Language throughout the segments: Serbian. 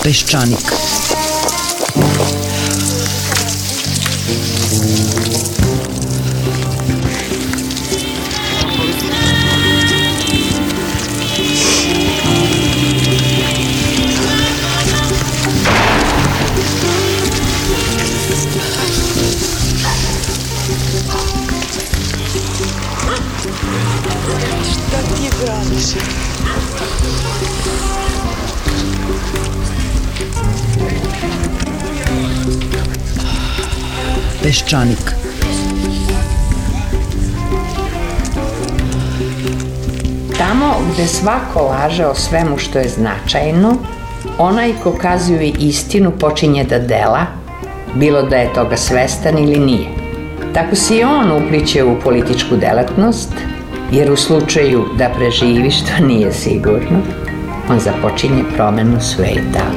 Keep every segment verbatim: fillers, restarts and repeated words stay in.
Peščanik. Šta ti braniš? Peščanik. Tamo gde svako laže o svemu što je značajno, onaj ko kazuje istinu počinje da dela, bilo da je toga svestan ili nije. Tako se i on upliće u političku delatnost, jer u slučaju da preživi, što nije sigurno, on započinje promenu sveta.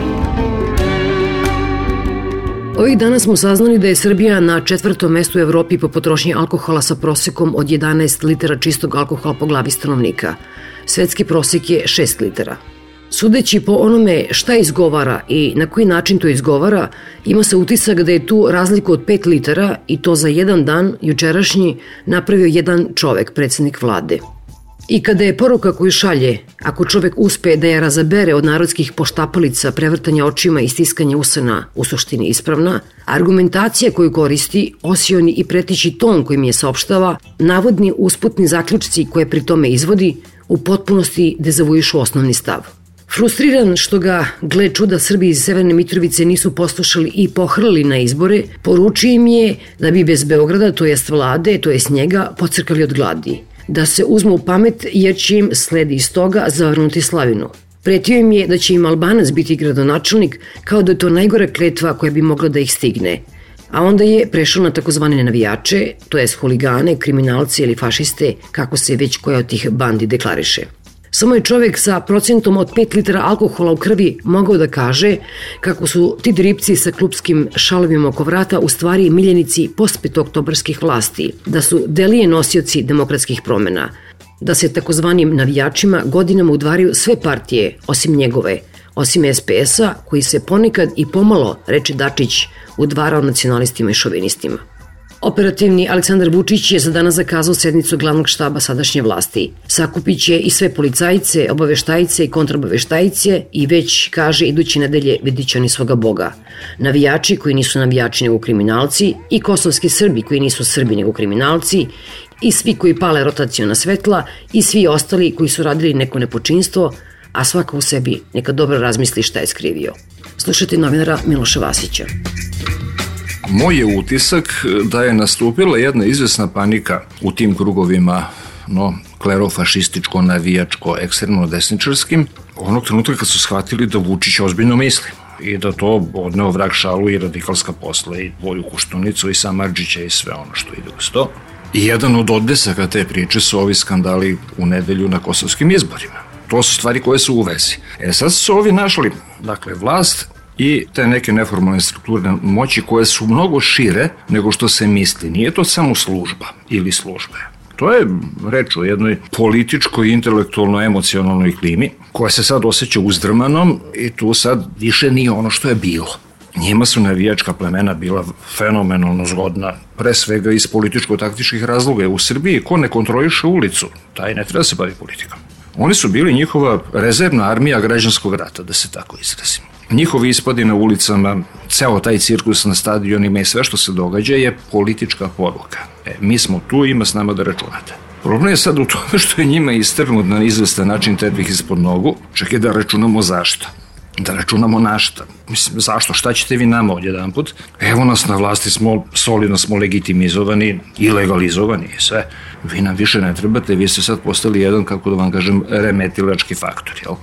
Ovih dana smo saznali da je Srbija na četvrtom mestu u Evropi po potrošnji alkohola sa prosekom od jedanaest litara čistog alkohola po glavi stanovnika. Svetski prosek je šest litara. Sudeći po onome šta izgovara i na koji način to izgovara, ima se utisak da je tu razliku od pet litara i to za jedan dan, jučerašnji, napravio jedan čovek, predsjednik vlade. I kada je poruka koju šalje, ako čovek uspe da je razabere od narodskih poštapalica, prevrtanja očima i stiskanja usana u suštini ispravna, argumentacija koju koristi, osioni i pretići ton kojim je saopštava, navodni usputni zaključci koje pri tome izvodi, u potpunosti dezavuišu osnovni stav. Frustriran što ga, gle čuda, Srbi iz Severne Mitrovice nisu poslušali i pohrlili na izbore, poručio im je da bi bez Beograda, to jest vlade, to jest njega, pocrkali od gladi. Da se uzmu u pamet jer će im sledi iz toga zavrnuti slavinu. Pretio im je da će im Albanac biti gradonačelnik, kao da je to najgora kletva koja bi mogla da ih stigne. A onda je prešao na takozvane navijače, to jest huligane, kriminalce ili fašiste, kako se već koja od tih bandi deklariše. Samo je čovek sa procentom od pet litara alkohola u krvi mogao da kaže kako su ti dripci sa klupskim šalovima oko vrata u stvari miljenici postpetooktobarskih vlasti, da su delije nosioci demokratskih promena, da se takozvanim navijačima godinama udvaraju sve partije osim njegove, osim es pe es-a koji se ponekad i pomalo, reče Dačić, udvarao nacionalistima i šovinistima. Operativni Aleksandar Vučić je za danas zakazao sednicu glavnog štaba sadašnje vlasti. Sakupit će i sve policajce, obaveštajice i kontrabaveštajice i već, kaže, iduće nedelje vidit će oni svoga Boga. Navijači koji nisu navijači nego kriminalci i kosovski Srbi koji nisu Srbi nego kriminalci i svi koji pale rotaciona svetla i svi ostali koji su radili neko nepočinstvo, a svako u sebi neka dobro razmisli šta je skrivio. Slušajte novinara Miloša Vasića. Moj je utisak da je nastupila jedna izvesna panika u tim krugovima, no, klerofašističko, navijačko, ekstremno desničarskim, onog trenutka kad su shvatili da Vučić ozbiljno misli i da to odneo vrag šalu i radikalska posla i Voju Koštunicu i Samardžića i sve ono što ide uz to. I jedan od odesaka te priče su ovi skandali u nedelju na kosovskim izborima. To su stvari koje su u vezi. E sad su ovi našli, dakle, vlast i te neke neformalne strukture moći koje su mnogo šire nego što se misli. Nije to samo služba ili službe. To je reč o jednoj političkoj, intelektualno, emocionalnoj klimi koja se sad osjeća uzdrmanom i tu sad više nije ono što je bilo. Njima su navijačka plemena bila fenomenalno zgodna, pre svega iz političko-taktičkih razloga. U Srbiji ko ne kontroliše ulicu, taj ne treba se bavi politikom. Oni su bili njihova rezervna armija građanskog rata, da se tako izrazim. Njihovi ispadi na ulicama, ceo taj cirkus na stadionima i sve što se događa je politička poruka. E, mi smo tu, ima s nama da računate. Problem je sad u tome što je njima istrgnut na izvestan način tepih ispod nogu, čak je da računamo zašto. Da računamo na šta. Mislim, zašto? Šta ćete vi nama odjedan put? Evo nas na vlasti, smo solidno smo legitimizovani i legalizovani i sve. Vi nam više ne trebate, vi ste sad postali jedan, kako da vam kažem, remetilački faktor, jel?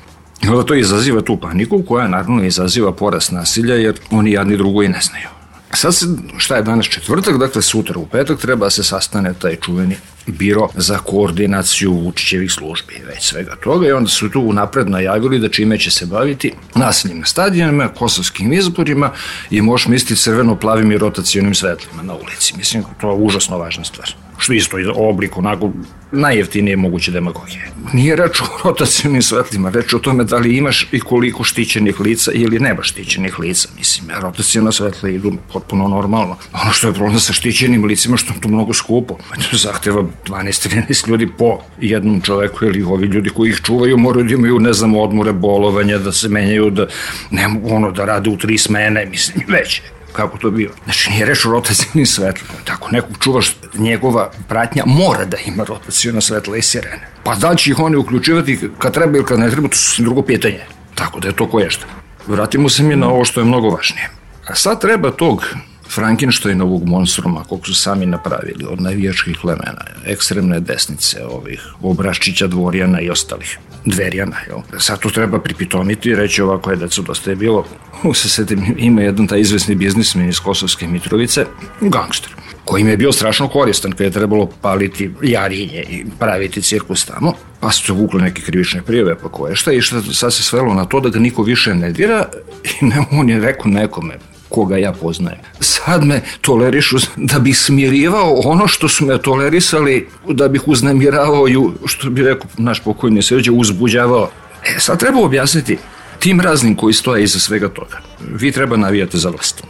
I onda to izaziva tu paniku koja naravno izaziva porast nasilja jer oni jadni drugo i ne znaju. Sad se, šta je danas četvrtak, dakle sutra u petak treba se sastane taj čuveni biro za koordinaciju Vučićevih službi, već svega toga i onda su tu unapred najavili da čime će se baviti nasiljem na stadionima, kosovskim izborima i možeš misliti crveno-plavim i rotacionim svetlima na ulici. Mislim, to je užasno važna stvar. što isto je oblik onako najjeftinije moguće demagogije. Nije reč o rotacionim svetlima, reč o tome da li imaš i koliko štićenih lica ili nemaš štićenih lica. Mislim, rotacijona svetla idu potpuno normalno. Ono što je problem sa štićenim licima, što je to mnogo skupo. Zahteva dvanaest trinaest ljudi po jednom čoveku, ili ovi ljudi koji ih čuvaju moraju da imaju, ne znam, odmore, bolovanja, da se menjaju, da, ne, ono, da rade u tri smene, mislim, već. Kako to bio. Znači, nije reč o rotacijnim svetlima. Tako, nekog čuvaš, njegova pratnja mora da ima rotacijona svetla i sirene. Pa da li će ih oni uključivati kad treba ili kad ne treba, to su drugo pitanje. Tako da je to koješta. Vratimo se mi na ovo što je mnogo važnije. A sad treba tog Frankensteinovog monstruma, koliko su sami napravili, od navijačkih plemena, ekstremne desnice, ovih Obraščića, Dvorjana i ostalih, Dverjana, jel? Sad tu treba pripitomiti i reći ovako je, deco, dosta je bilo. U se setim, ima jedan taj izvesni biznismen iz Kosovske Mitrovice, gangster, koji im je bio strašno koristan kad je trebalo paliti Jarinje i praviti cirkus tamo, pa su se vukli neke krivične prijave, pa koje šta, i šta sad se svelo na to da ga niko više ne dira, i ne, on je rekao nekome, koga ja poznajem. Sad me tolerišu da bih smirivao ono što su me tolerisali, da bih uznemiravao i, što bi rekao naš pokojni Srđe, uzbuđavao. E, sad treba objasniti tim raznim koji stoje iza svega toga. Vi treba navijate za vlast.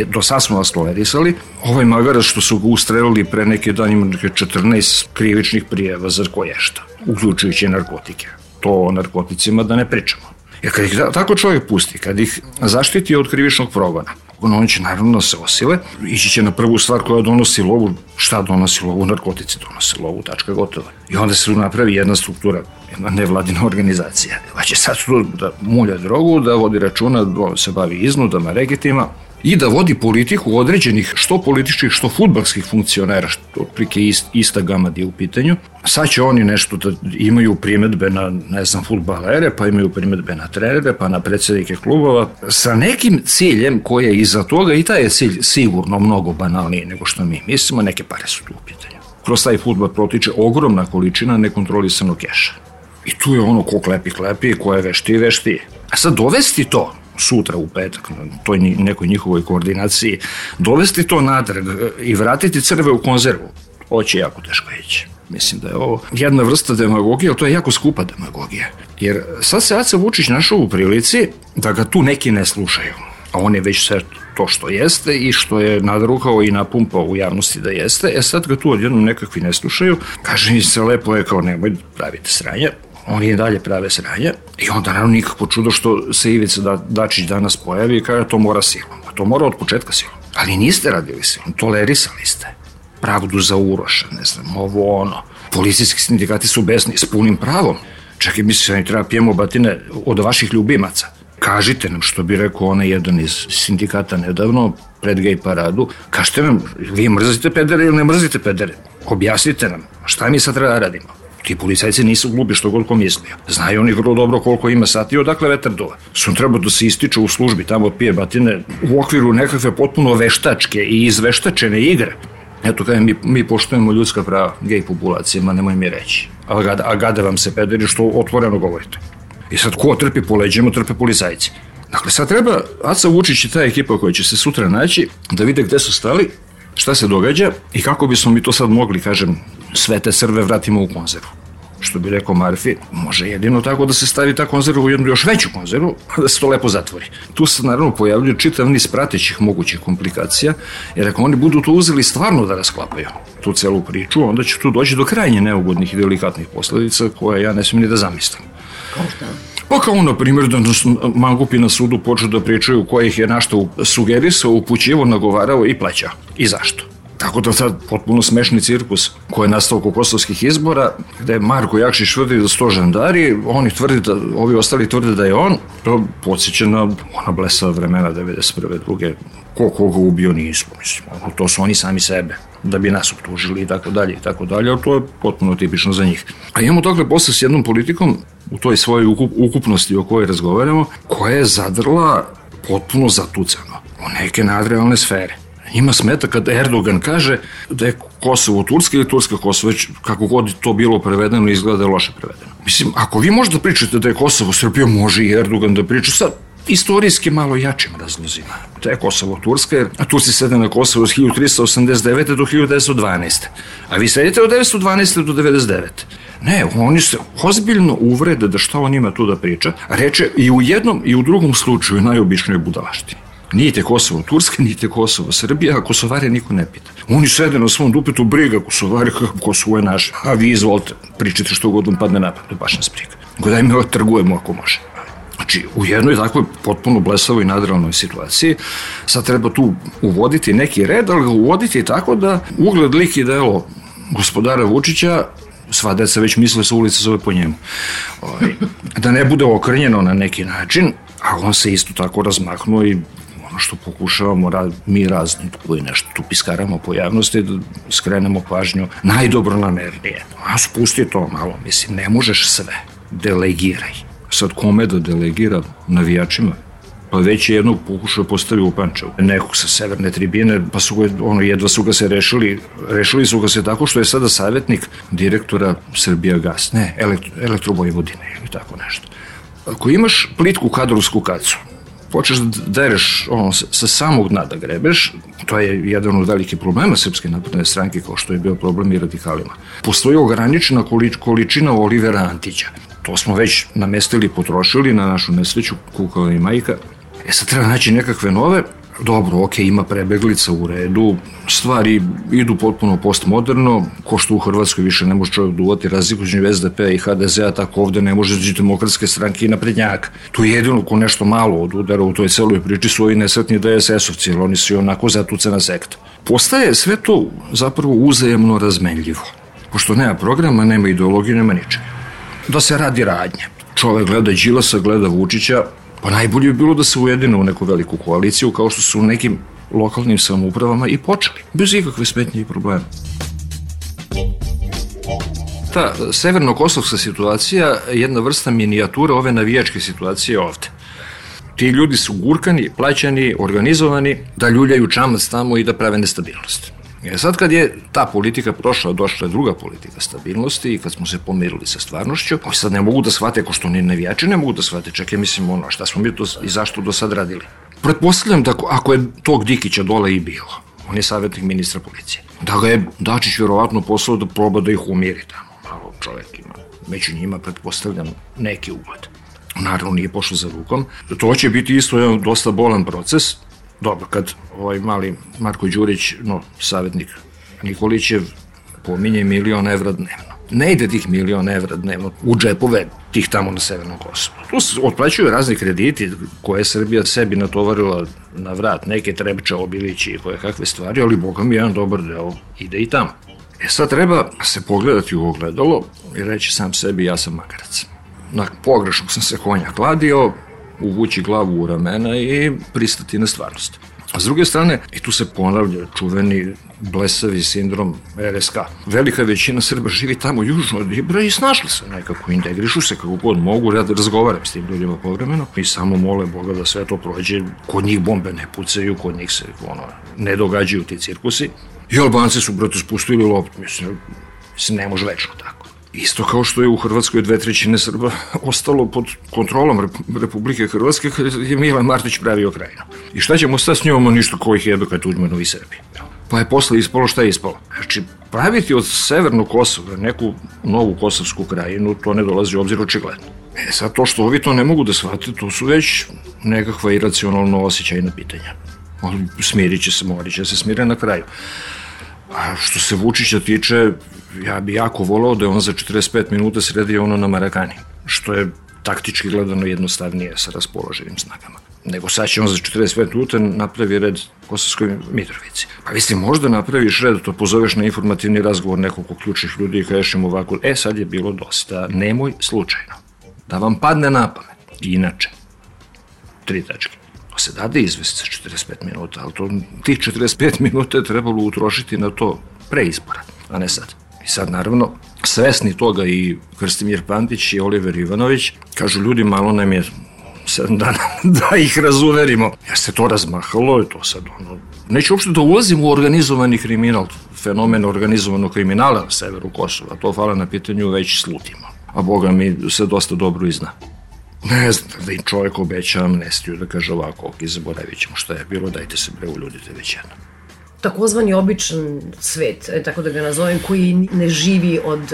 Do sad smo vas tolerisali. Ovaj magarac što su ga ustrelili pre neke dan ima neke četrnaest krivičnih prijeva za koješta, uključujući narkotike. To o narkoticima da ne pričamo. Jer kad ih tako čovjek pusti, kad ih zaštiti od krivičnog progona, on će naravno se osile, ići će na prvu stvar koja donosi lovu. Šta donosi lovu? Narkotici donose lovu, tačka, gotova. I onda se napravi jedna struktura, jedna nevladina organizacija. Pa će sad tu da mulja drogu, da vodi računa, da se bavi iznudama, regetima i da vodi politiku određenih što političkih, što fudbalskih funkcionera, što otprilike ist, ista gamad je u pitanju. Sad će oni nešto da imaju primedbe na, ne znam, fudbalere, pa imaju primedbe na trenere, pa na predsednike klubova, sa nekim ciljem koji je iza toga, i taj je cilj sigurno mnogo banalniji nego što mi mislimo, neke pare su tu u pitanju. Kroz taj fudbal protiče ogromna količina nekontrolisanog keša. I tu je ono ko klepi klepi, ko je vešti vešti. A sad dovesti to sutra u petak, na toj nekoj njihovoj koordinaciji, dovesti to natrag i vratiti crve u konzervu, ovo će jako teško ići. Mislim da je ovo jedna vrsta demagogije, ali to je jako skupa demagogija. Jer sad se Aca Vučić našao u prilici da ga tu neki ne slušaju. A on je već sve to što jeste i što je nadrukao i napumpao u javnosti da jeste. E sad ga tu odjednom nekakvi ne slušaju. Kaže mi se lepo je kao nemoj pravite sranja. Oni i dalje prave sranja i onda naravno nikako čudo što se Ivica Dačić danas pojavi i kaže to mora silom. A to mora od početka silom. Ali niste radili silom, tolerisali ste. Pravdu za Uroša, ne znam, ovo ono. Policijski sindikati su besni s punim pravom. Čak i mislim da treba pijemo batine od vaših ljubimaca. Kažite nam, što bi rekao onaj jedan iz sindikata nedavno, pred gej paradu, kažite nam, vi mrzite pedere ili ne mrzite pedere? Objasnite nam, šta mi sad treba da radimo? Ti policajci nisu glupi što god ko mislio. Znaju oni vrlo dobro koliko ima sati i odakle vetar duva. Su treba da se ističu u službi, tamo pije batine u okviru nekakve potpuno veštačke i izveštačene igre. Eto kada mi, mi poštujemo ljudska prava gej populacijama, nemoj mi reći. A gade, a gade vam se pederi što otvoreno govorite. I sad ko trpi po leđima, trpe policajci. Dakle, sad treba Aca Vučić i ta ekipa koja će se sutra naći da vide gde su stali, šta se događa i kako bismo mi to sad mogli, kažem, sve te crve vratimo u konzervu. Što bi rekao Marfi, može jedino tako da se stavi ta konzerva u jednu još veću konzervu, a da se to lepo zatvori. Tu se naravno pojavljaju čitav niz pratećih mogućih komplikacija, jer ako oni budu to uzeli stvarno da rasklapaju tu celu priču, onda će tu doći do krajnje neugodnih i delikatnih posledica koje ja ne smijem ni da zamislim. Kao šta? Pa kao na primjer da mangupi na sudu počnu da pričaju ko ih je našto sugerisao, upućivo, nagovarao i plaćao. I zašto? Tako da sad potpuno smešni cirkus koji je nastao oko kosovskih izbora, gde Marko Jakšić tvrdi da sto žandari, oni tvrdi da, ovi ostali tvrde da je on, to podsjeća na ona blesava vremena devedeset prve druge ko koga ubio nismo, mislim, to su oni sami sebe, da bi nas optužili i tako dalje i tako dalje, ali to je potpuno tipično za njih. A imamo dakle posle s jednom politikom u toj svojoj ukup, ukupnosti o kojoj razgovaramo, koja je zadrla potpuno zatucano u neke nadrealne sfere. Njima smeta kad Erdogan kaže da je Kosovo Turska ili Turska Kosovo, već kako god to bilo prevedeno, izgleda da je loše prevedeno. Mislim, ako vi možete pričate da je Kosovo Srbija, može i Erdogan da priča, sad istorijski malo jačim razlozima. To je Kosovo-Turska, a Turci sede na Kosovo od hiljadu trista osamdeset devete do hiljadu devetsto dvanaeste. A vi sedite od devetsto dvanaeste do devedeset devete. Ne, oni se ozbiljno uvrede da šta on ima tu da priča, a reče i u jednom i u drugom slučaju najobičnije budalaštini. Nijete Kosovo-Turska, nijete Kosovo-Srbija, a Kosovare niko ne pita. Oni sede na svom dupetu, briga Kosovari, Kosovo je naše. A vi izvolite, pričajte što god vam padne napad, to baš nas briga. Godaj mi trgujemo ako može. Znači, u jednoj takvoj potpuno blesavoj nadrealnoj situaciji sad treba tu uvoditi neki red, ali ga uvoditi tako da ugled, lik i delo gospodara Vučića, sva deca već misle sa ulice zove po njemu, da ne bude okrnjeno na neki način, a on se isto tako razmahnuo i ono što pokušavamo mi razni koji nešto tu piskaramo po javnosti, da skrenemo pažnju najdobronamernije. A spusti to malo, mislim, ne možeš sve, delegiraj. Sad kome da delegira? Navijačima? Pa već je jednog pokušao postavi u Pančevu. Nekog sa severne tribine, pa su ga, ono, jedva su ga se rešili, rešili su ga se tako što je sada savjetnik direktora Srbijagas, ne, elektro, Elektrovojvodine ili tako nešto. Ako imaš plitku kadrovsku kacu, počeš da dereš ono, sa samog dna da grebeš, to je jedan od velikih problema Srpske napredne stranke, kao što je bio problem i radikalima. Postoji ograničena količina Olivera Antića. To smo već namestili, potrošili na našu nesreću, kukala i majka. E sad treba naći nekakve nove. Dobro, ok, ima prebeglica u redu, stvari idu potpuno postmoderno, ko što u Hrvatskoj više ne može čovjek duvati razliku između es de pe i ha de zea, tako ovde ne može između Demokratske stranke i naprednjaka. To je jedino ko nešto malo od udara u toj celoj priči su ovi nesretni de es esovci, jer oni su i onako zatucena sekta. Postaje sve to zapravo uzajemno razmenljivo, pošto nema programa, nema ideologije, nema ničega. Da se radi radnje. Čovek gleda Đilasa, gleda Vučića, pa najbolje bi bilo da se ujedine u neku veliku koaliciju, kao što su u nekim lokalnim samoupravama i počeli, bez ikakve smetnje i problema. Ta severno-kosovska situacija je jedna vrsta minijatura ove navijačke situacije ovde. Ti ljudi su gurkani, plaćani, organizovani, da ljuljaju čamac tamo i da prave nestabilnost. E sad kad je ta politika prošla, došla je druga politika stabilnosti i kad smo se pomirili sa stvarnošću, oni sad ne mogu da shvate, ko što ni navijači ne mogu da shvate, čak ja mislim ono, šta smo mi to i zašto do sad radili. Pretpostavljam da ako je tog Dikića dole i bilo, on je savjetnik ministra policije, da ga je Dačić vjerovatno poslao da proba da ih umiri tamo, malo čovjek ima, među njima pretpostavljam neki ugled. Naravno nije pošlo za rukom, to će biti isto jedan dosta bolan proces. Dobro, kad ovaj mali Marko Đurić, no, savjetnik Nikolićev, pominje milion evra dnevno. Ne ide tih milion evra dnevno u džepove tih tamo na Severnom Kosovu. Tu se otplaćuju razni krediti koje je Srbija sebi natovarila na vrat, neke Trebče, Obilići i koje kakve stvari, ali boga mi jedan dobar deo ide i tamo. E sad treba se pogledati u ogledalo i reći sam sebi ja sam magarac. Na pogrešnog sam se konja kladio, uvući glavu u ramena i pristati na stvarnost. A s druge strane, i tu se ponavlja čuveni blesavi sindrom er es ka. Velika većina Srba živi tamo južno od Ibra i snašli se nekako, integrišu se kako god mogu, ja da razgovaram s tim ljudima povremeno i samo mole Boga da sve to prođe, kod njih bombe ne pucaju, kod njih se ono, ne događaju ti cirkusi. I Albanci su, brate, spustili loptu, mislim, mislim, ne može večno tako. Isto kao što je u Hrvatskoj dve trećine Srba ostalo pod kontrolom Republike Hrvatske kad je Milan Martić pravio Krajinu. I šta ćemo stati s njom, ništa koji ih jebe kad Tuđmanovi i Srbi. Pa je posle ispalo šta je ispalo. Znači, praviti od Severnog Kosova neku novu Kosovsku Krajinu, to ne dolazi u obzir očigledno. E sad, to što ovi to ne mogu da shvate, to su već nekakva iracionalno osjećajna pitanja. Smirit će se, morit će se smire na kraju. A što se Vučića tiče, ja bi jako volao da je on za četrdeset pet minuta sredio ono na Marakani, što je taktički gledano jednostavnije sa raspoloženim snagama. Nego sad će on za četrdeset pet minuta napravi red Kosovskoj Mitrovici. Pa vi ste možda napraviš red, to pozoveš na informativni razgovor nekog ključnih ljudi i kažeš im ovako, e sad je bilo dosta, nemoj slučajno da vam padne na pamet. Inače, tri tačke. To se dade izvesti za četrdeset pet minuta, ali to, tih četrdeset pet minuta je trebalo utrošiti na to pre izbora, a ne sad. I sad, naravno, svesni toga i Krstimir Pantić i Oliver Ivanović kažu ljudi, malo nam je sedam dana da ih razuverimo. Jer se to razmahalo i to sad ono... Neću uopšte da ulazim u organizovani kriminal, fenomen organizovanog kriminala na severu Kosova. To hvala na pitanju već slutimo. A Boga mi se dosta dobro i zna. Ne znam, da im čovjek obeća amnestiju, da kaže ovako, ok, zaboravit ćemo šta je bilo, dajte se bre uljudite već jedno. Takozvani običan svet, tako da ga nazovem, koji ne živi od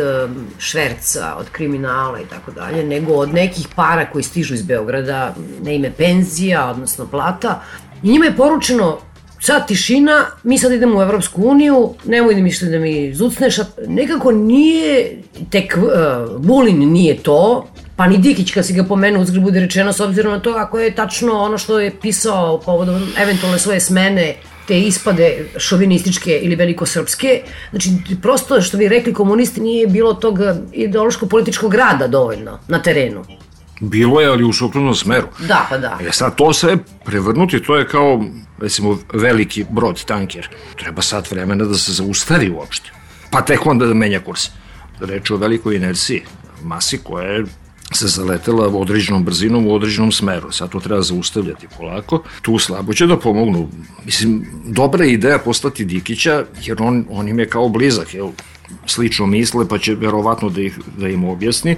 šverca, od kriminala i tako dalje, nego od nekih para koji stižu iz Beograda na ime penzija, odnosno plata. I njima je poručeno, sad tišina, mi sad idemo u Evropsku uniju, nemoj da misli da mi zucneš, nekako nije, tek uh, Vulin nije to, pa ni Dikić kad si ga pomenuo uzgled bude rečeno, s obzirom na to ako je tačno ono što je pisao povodom eventualne svoje smene, te ispade šovinističke ili velikosrpske, znači prosto što bi rekli komunisti nije bilo tog ideološko-političkog rada dovoljno na terenu. Bilo je, ali u suprotnom smeru. Da, pa da. E sad to sve prevrnuti, to je kao, recimo, veliki brod, tanker. Treba sat vremena da se zaustavi uopšte. Pa tek onda da menja kurs. Reč o velikoj inerciji, masi koja je se zaletela određenom brzinom u određenom smeru. Sad to treba zaustavljati polako. Tu slabo će da pomognu. Mislim, dobra je ideja postati Dikića, jer on, on im je kao blizak, jel? Slično misle, pa će verovatno da, ih, da im objasni.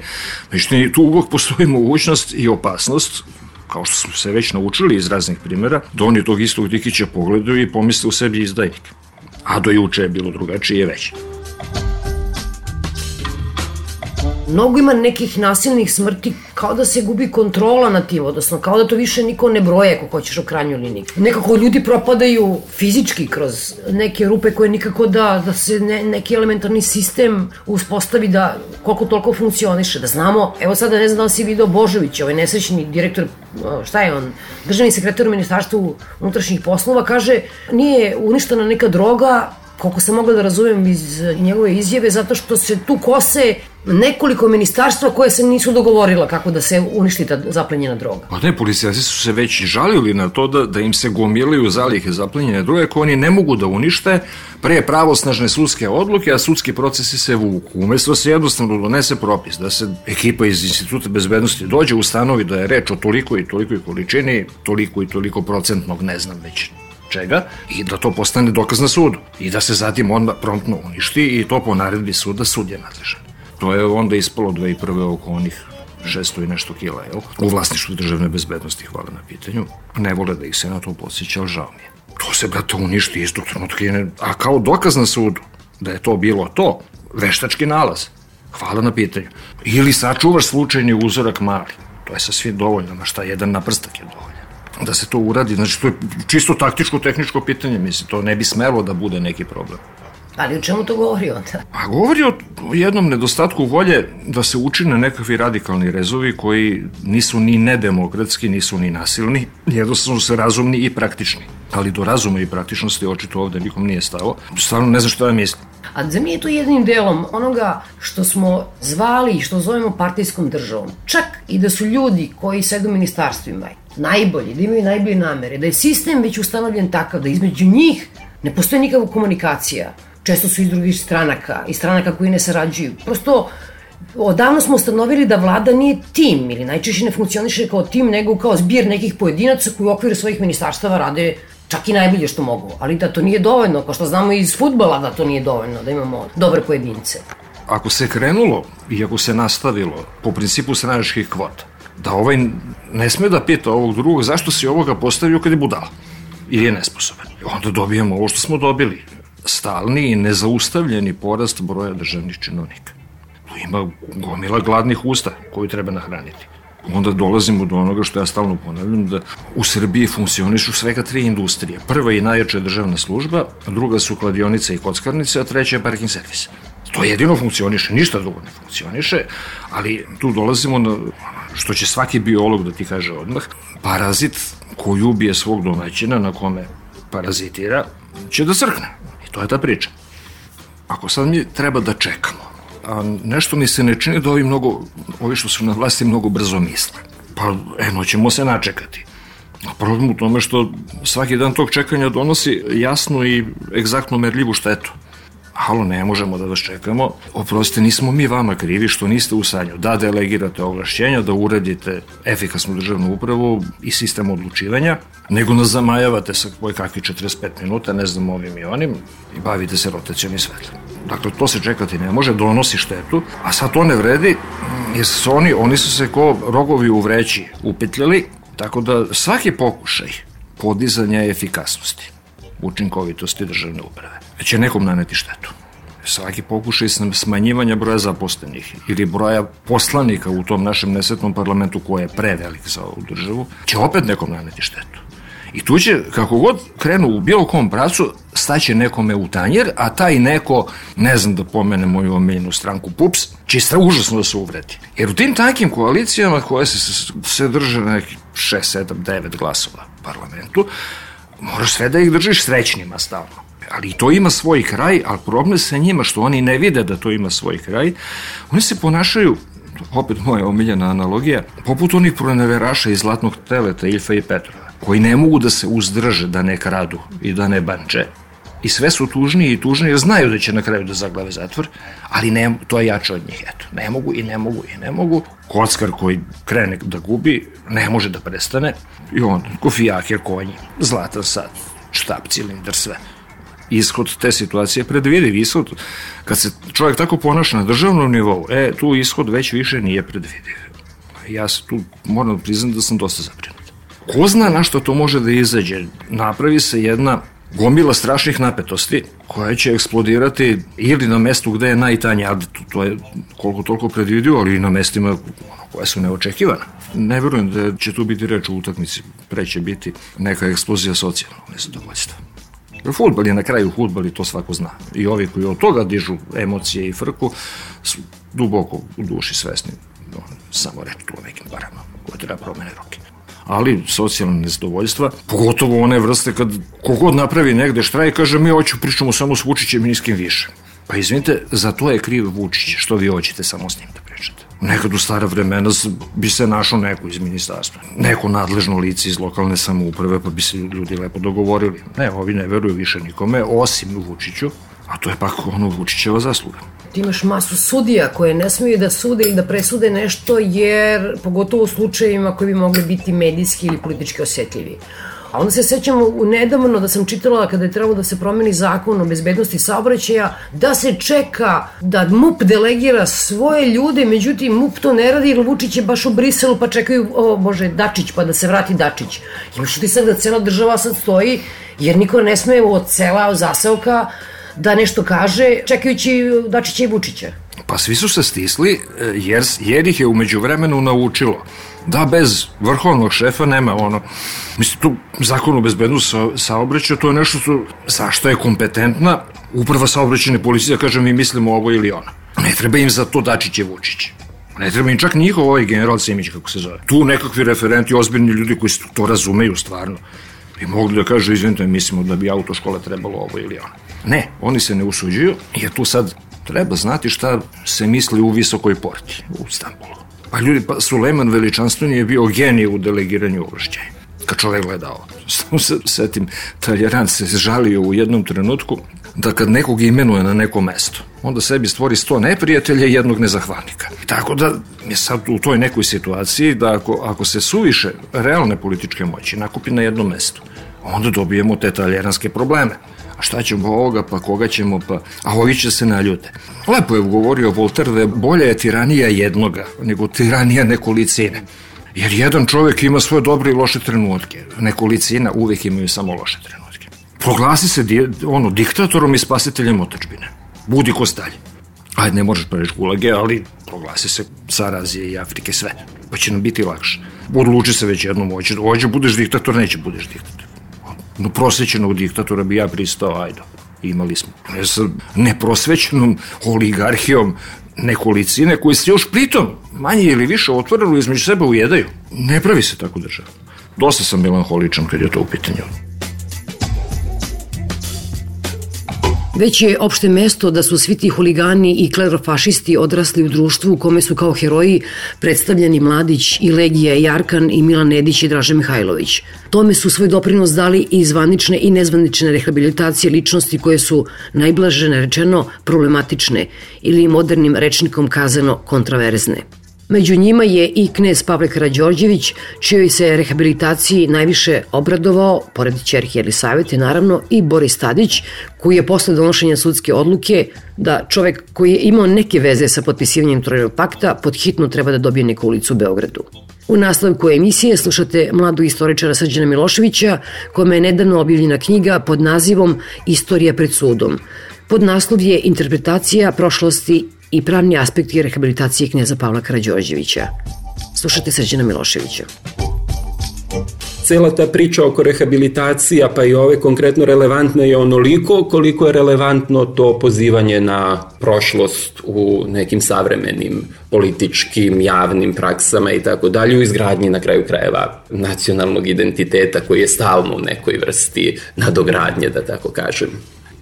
Međutim, tu uvijek postoji mogućnost i opasnost, kao što smo se već naučili iz raznih primjera, da oni tog istog Dikića pogledaju i pomisle u sebi izdajnik. A do juče je bilo drugačije je već. Mnogo ima nekih nasilnih smrti, kao da se gubi kontrola nad tim, odnosno kao da to više niko ne broje, ako hoćeš u krajnjoj liniji. Nekako ljudi propadaju fizički kroz neke rupe koje nikako da, da se ne, neki elementarni sistem uspostavi da koliko toliko funkcioniše, da znamo, evo sada ne znam da li si video Božović, ovaj nesrećni direktor, šta je on, državni sekretar u Ministarstvu unutrašnjih poslova, kaže nije uništena neka droga, koliko sam mogla da razumem iz njegove izjave, zato što se tu kose nekoliko ministarstva koje se nisu dogovorila kako da se uništi ta zaplenjena droga. Pa ne, policajci su se već žalili na to da, da im se gomilaju zalihe zaplenjene droge koje oni ne mogu da unište pre pravosnažne sudske odluke, a sudski procesi se vuku. Umesto se jednostavno donese propis, da se ekipa iz Instituta bezbednosti dođe, ustanovi da je reč o toliko i toliko količini, toliko i toliko procentnog, ne znam već čega, i da to postane dokaz na sudu. I da se zatim onda promptno uništi i to po naredbi suda sud je nadležan. To je onda ispalo dve hiljade prve oko onih šesto i nešto kila, jel? U vlasništvu državne bezbednosti, hvala na pitanju. Ne vole da ih se na to podsjeća, ali žao mi je. To se, brate, uništi istog trenutka, a kao dokaz na sudu da je to bilo to, veštački nalaz. Hvala na pitanju. Ili sačuvaš slučajni uzorak mali. To je sasvim dovoljno, na šta jedan naprstak je dovoljno. Da se to uradi, znači to je čisto taktičko, tehničko pitanje, mislim, to ne bi smelo da bude neki problem. Ali o čemu to govori onda? A govori o jednom nedostatku volje da se učine nekakvi radikalni rezovi koji nisu ni nedemokratski, nisu ni nasilni, jednostavno su razumni i praktični. Ali do razuma i praktičnosti očito ovde nikom nije stalo. Stvarno ne znam što ja mislim. A za mene je to jednim delom onoga što smo zvali i što zovemo partijskom državom. Čak i da su ljudi koji sede u ministarstvima najbolji, da imaju najbolje namere, da je sistem već ustanovljen takav da između njih ne postoji nikakva komunikacija. Često su iz drugih stranaka i stranaka koji ne sarađuju. Prosto, odavno smo ustanovili da vlada nije tim ili najčešće ne funkcioniše kao tim, nego kao zbir nekih pojedinaca koji u okviru svojih ministarstava rade čak i najbolje što mogu. Ali da to nije dovoljno, kao što znamo iz fudbala da to nije dovoljno, da imamo dobre pojedince. Ako se krenulo i ako se nastavilo po principu stranačkih kvota, da ovaj ne sme da pita ovog drugog zašto si ovoga postavio kad je budala ili je nesposoban. Onda dobijemo ovo što smo dobili. Stalni i nezaustavljeni porast broja državnih činovnika. Tu ima gomila gladnih usta koju treba nahraniti. Onda dolazimo do onoga što ja stalno ponavljam, da u Srbiji funkcionišu svega tri industrije. Prva i najjača je državna služba, druga su kladionice i kockarnice, a treća je parking servis. To jedino funkcioniše, ništa drugo ne funkcioniše, ali tu dolazimo na što će svaki biolog da ti kaže odmah, parazit koji ubije svog domaćina na kome parazitira, će da crkne. To je ta priča. Ako sad mi treba da čekamo, a nešto mi se ne čini da ovi mnogo, ovi što su na vlasti mnogo brzo misle. Pa, eno, ćemo se načekati. A problem u tome što svaki dan tog čekanja donosi jasnu i egzaktno merljivu štetu. Halo, ne možemo da vas čekamo. Oprostite, nismo mi vama krivi što niste u stanju da delegirate ovlašćenja, da uradite efikasnu državnu upravu i sistem odlučivanja, nego nas zamajavate sa koje kakvi četrdeset pet minuta, ne znam ovim i onim, i bavite se rotacijom i svetlom. Dakle, to se čekati ne može, donosi štetu, a sad to ne vredi, jer su oni, oni su se ko rogovi u vreći upetljali, tako da svaki pokušaj podizanja efikasnosti, učinkovitosti državne uprave će nekom naneti štetu. Svaki pokušaj smanjivanja broja zaposlenih ili broja poslanika u tom našem nesretnom parlamentu koji je prevelik za ovu državu, će opet nekom naneti štetu. I tu će, kako god krenu u bilo kom pracu, staće nekome u tanjer, a taj neko, ne znam da pomene moju omiljenu stranku P U P S, će stra užasno da se uvredi. Jer u tim takim koalicijama koje se, se drže na nekih šest, sedam, devet glasova u parlamentu, moraš sve da ih držiš srećnima stalno. Ali i to ima svoj kraj, ali problem sa njima što oni ne vide da to ima svoj kraj. Oni se ponašaju, opet moja omiljena analogija, poput onih proneveraša iz Zlatnog teleta Iljfa i Petrova, koji ne mogu da se uzdrže da ne kradu i da ne banče. I sve su tužniji i tužniji jer znaju da će na kraju da zaglave zatvor, ali ne, to je jače od njih. Eto, ne mogu i ne mogu i ne mogu. Kockar koji krene da gubi, ne može da prestane. I on, kofijaker, konji, zlatan sat, štap, cilindar, sve. Ishod te situacije predvidiv. Ishod, kad se čovjek tako ponaša na državnom nivou, e, tu ishod već više nije predvidiv. Ja se tu moram priznati da sam dosta zabrinut. Ko zna na što to može da izađe? Napravi se jedna gomila strašnih napetosti koja će eksplodirati ili na mestu gde je najtanje, ali to je koliko toliko predvidivo, ali i na mestima koja su neočekivana. Ne verujem da će tu biti reč u utakmici, pre će biti neka eksplozija socijalnog nezadovoljstva. Fudbal je na kraju fudbal i to svako zna. I ovi koji od toga dižu emocije i frku su duboko u duši svesni. Samo reći tu o nekim parama koje treba promene roke. Ali socijalne nezadovoljstva, pogotovo one vrste kad kogod napravi negde štrajk, kaže mi hoću pričamo samo s Vučićem i niskim više. Pa izvinite, za to je kriv Vučić, što vi hoćete samo s njim da pričate. Nekad u stara vremena bi se našao neko iz ministarstva, neko nadležno lice iz lokalne samouprave, pa bi se ljudi lepo dogovorili. Ne, ovi ne veruju više nikome, osim Vučiću, a to je pak ono Vučićeva zasluga. Ti imaš masu sudija koje ne smiju da sude ili da presude nešto, jer pogotovo u slučajevima koji bi mogli biti medijski ili politički osetljivi. A onda se sećamo nedavno da sam čitala kada je trebalo da se promeni zakon o bezbednosti saobraćaja, da se čeka da M U P delegira svoje ljude, međutim M U P to ne radi jer Vučić je baš u Briselu pa čekaju, o Bože, Dačić, pa da se vrati Dačić. Imaš utisak da cela država sad stoji jer niko ne sme od sela, od zaseoka da nešto kaže čekajući Dačića i Vučića. Pa svi su se stisli jer, jer ih je umeđu vremenu naučilo da bez vrhovnog šefa nema ono, mislim, tu zakon o bezbednosti saobraćaja, to je nešto što, zašto je kompetentna uprava saobraćajne policije, da kaže mi mislimo ovo ili ono. Ne treba im za to Dačić i Vučić. Ne treba im čak njihov ovaj general Simić, kako se zove. Tu nekakvi referenti, ozbiljni ljudi koji to razumeju stvarno, bi mogli da kažu, izvinite, mislimo da bi autoškola trebalo ovo ili ono. Ne, oni se ne usuđuju, jer tu sad treba znati šta se misli u Visokoj porti, u Stambulu. Pa ljudi, pa Sulejman Veličanstveni je bio genij u delegiranju ovlašćenja. Kad čovek gleda ovo, samo se setim, Taljeran se žalio u jednom trenutku da kad nekog imenuje na neko mesto, onda sebi stvori sto neprijatelja i jednog nezahvalnika. Tako da je sad u toj nekoj situaciji da ako, ako se suviše realne političke moći nakupi na jednom mestu, onda dobijemo te taljeranske probleme. A šta ćemo ovoga, pa koga ćemo, pa... A ovi će se naljute. Lepo je govorio Voltaire da je bolja je tiranija jednoga nego tiranija nekolicine. Jer jedan čovjek ima svoje dobre i loše trenutke. Nekolicina uvijek imaju samo loše trenutke. Proglasi se di, ono, diktatorom i spasiteljem otadžbine. Budi ko Stalin. Ajde, ne možeš preći gulage, ali proglasi se car Azije i Afrike sve. Pa će nam biti lakše. Odluči se već jednom, hoće, hoće budeš diktator, neće budeš diktator. No, prosvećenog diktatora bi ja pristao, ajde, imali smo. Ne sa neprosvećenom oligarhijom nekolicine koji se još pritom manje ili više otvoreno između sebe ujedaju. Ne pravi se tako država. Dosta sam melanholičan kad je to u pitanju. Već je opšte mesto da su svi ti huligani i klerofašisti odrasli u društvu u kome su kao heroji predstavljeni Mladić i Legija i Arkan i Milan Nedić i Dražen Mihajlović. Tome su svoj doprinos dali i zvanične i nezvanične rehabilitacije ličnosti koje su najblaže rečeno problematične ili modernim rečnikom kazano kontraverzne. Među njima je i knez Pavle Karađorđević, čijoj se rehabilitaciji najviše obradovao, pored ćerke Jelisavete naravno, i Boris Tadić, koji je posle donošenja sudske odluke da čovek koji je imao neke veze sa potpisivanjem Trojnog pakta pod hitno treba da dobije neku ulicu u Beogradu. U nastavku emisije slušate mladu istoričara Srđana Miloševića, kome je nedavno objavljena knjiga pod nazivom Istorija pred sudom. Podnaslov je Interpretacija prošlosti i pravni aspekti rehabilitacije kneza Pavla Karađorđevića. Slušate Srđana Miloševića. Cela ta priča oko rehabilitacija, pa i ove konkretno relevantne je onoliko koliko je relevantno to pozivanje na prošlost u nekim savremenim političkim, javnim praksama i tako dalje, u izgradnji na kraju krajeva nacionalnog identiteta koji je stalno u nekoj vrsti nadogradnje, da tako kažem.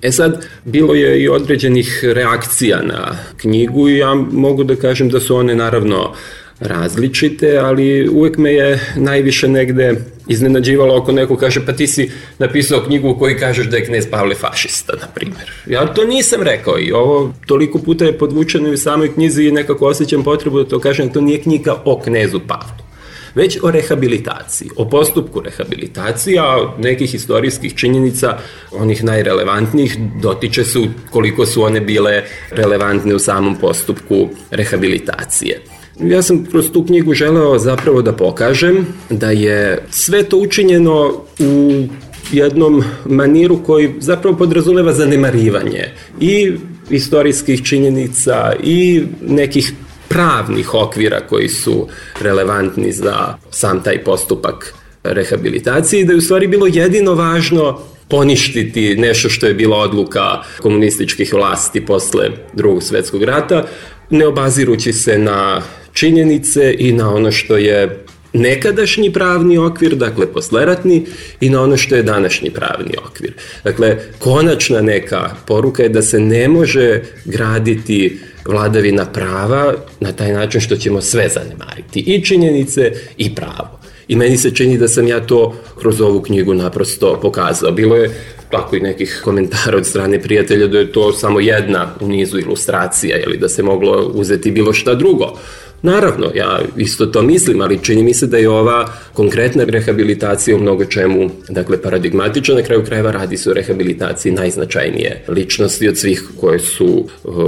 E sad, bilo je i određenih reakcija na knjigu i ja mogu da kažem da su one naravno različite, ali uvek me je najviše negde iznenađivalo ako neko kaže pa ti si napisao knjigu u kojoj kažeš da je knez Pavle fašista, na primjer. Ja to nisam rekao i ovo toliko puta je podvučeno i u samoj knjizi i nekako osjećam potrebu da to kažem, to nije knjiga o knezu Pavlu, već o rehabilitaciji, o postupku rehabilitacije, a nekih istorijskih činjenica, onih najrelevantnijih, dotiče su koliko su one bile relevantne u samom postupku rehabilitacije. Ja sam kroz tu knjigu želeo zapravo da pokažem da je sve to učinjeno u jednom maniru koji zapravo podrazumeva zanemarivanje i istorijskih činjenica i nekih pravnih okvira koji su relevantni za sam taj postupak rehabilitacije i da je u stvari bilo jedino važno poništiti nešto što je bila odluka komunističkih vlasti posle Drugog svjetskog rata, ne obazirući se na činjenice i na ono što je nekadašnji pravni okvir, dakle posleratni, i na ono što je današnji pravni okvir. Dakle, konačna neka poruka je da se ne može graditi vladavina prava na taj način što ćemo sve zanemariti, i činjenice i pravo. I meni se čini da sam ja to kroz ovu knjigu naprosto pokazao. Bilo je tako i nekih komentara od strane prijatelja da je to samo jedna u nizu ilustracija ili da se moglo uzeti bilo šta drugo. Naravno, ja isto to mislim, ali čini mi se da je ova konkretna rehabilitacija u mnogo čemu, dakle, paradigmatična. Na kraju krajeva radi se o rehabilitaciji najznačajnije ličnosti od svih koje su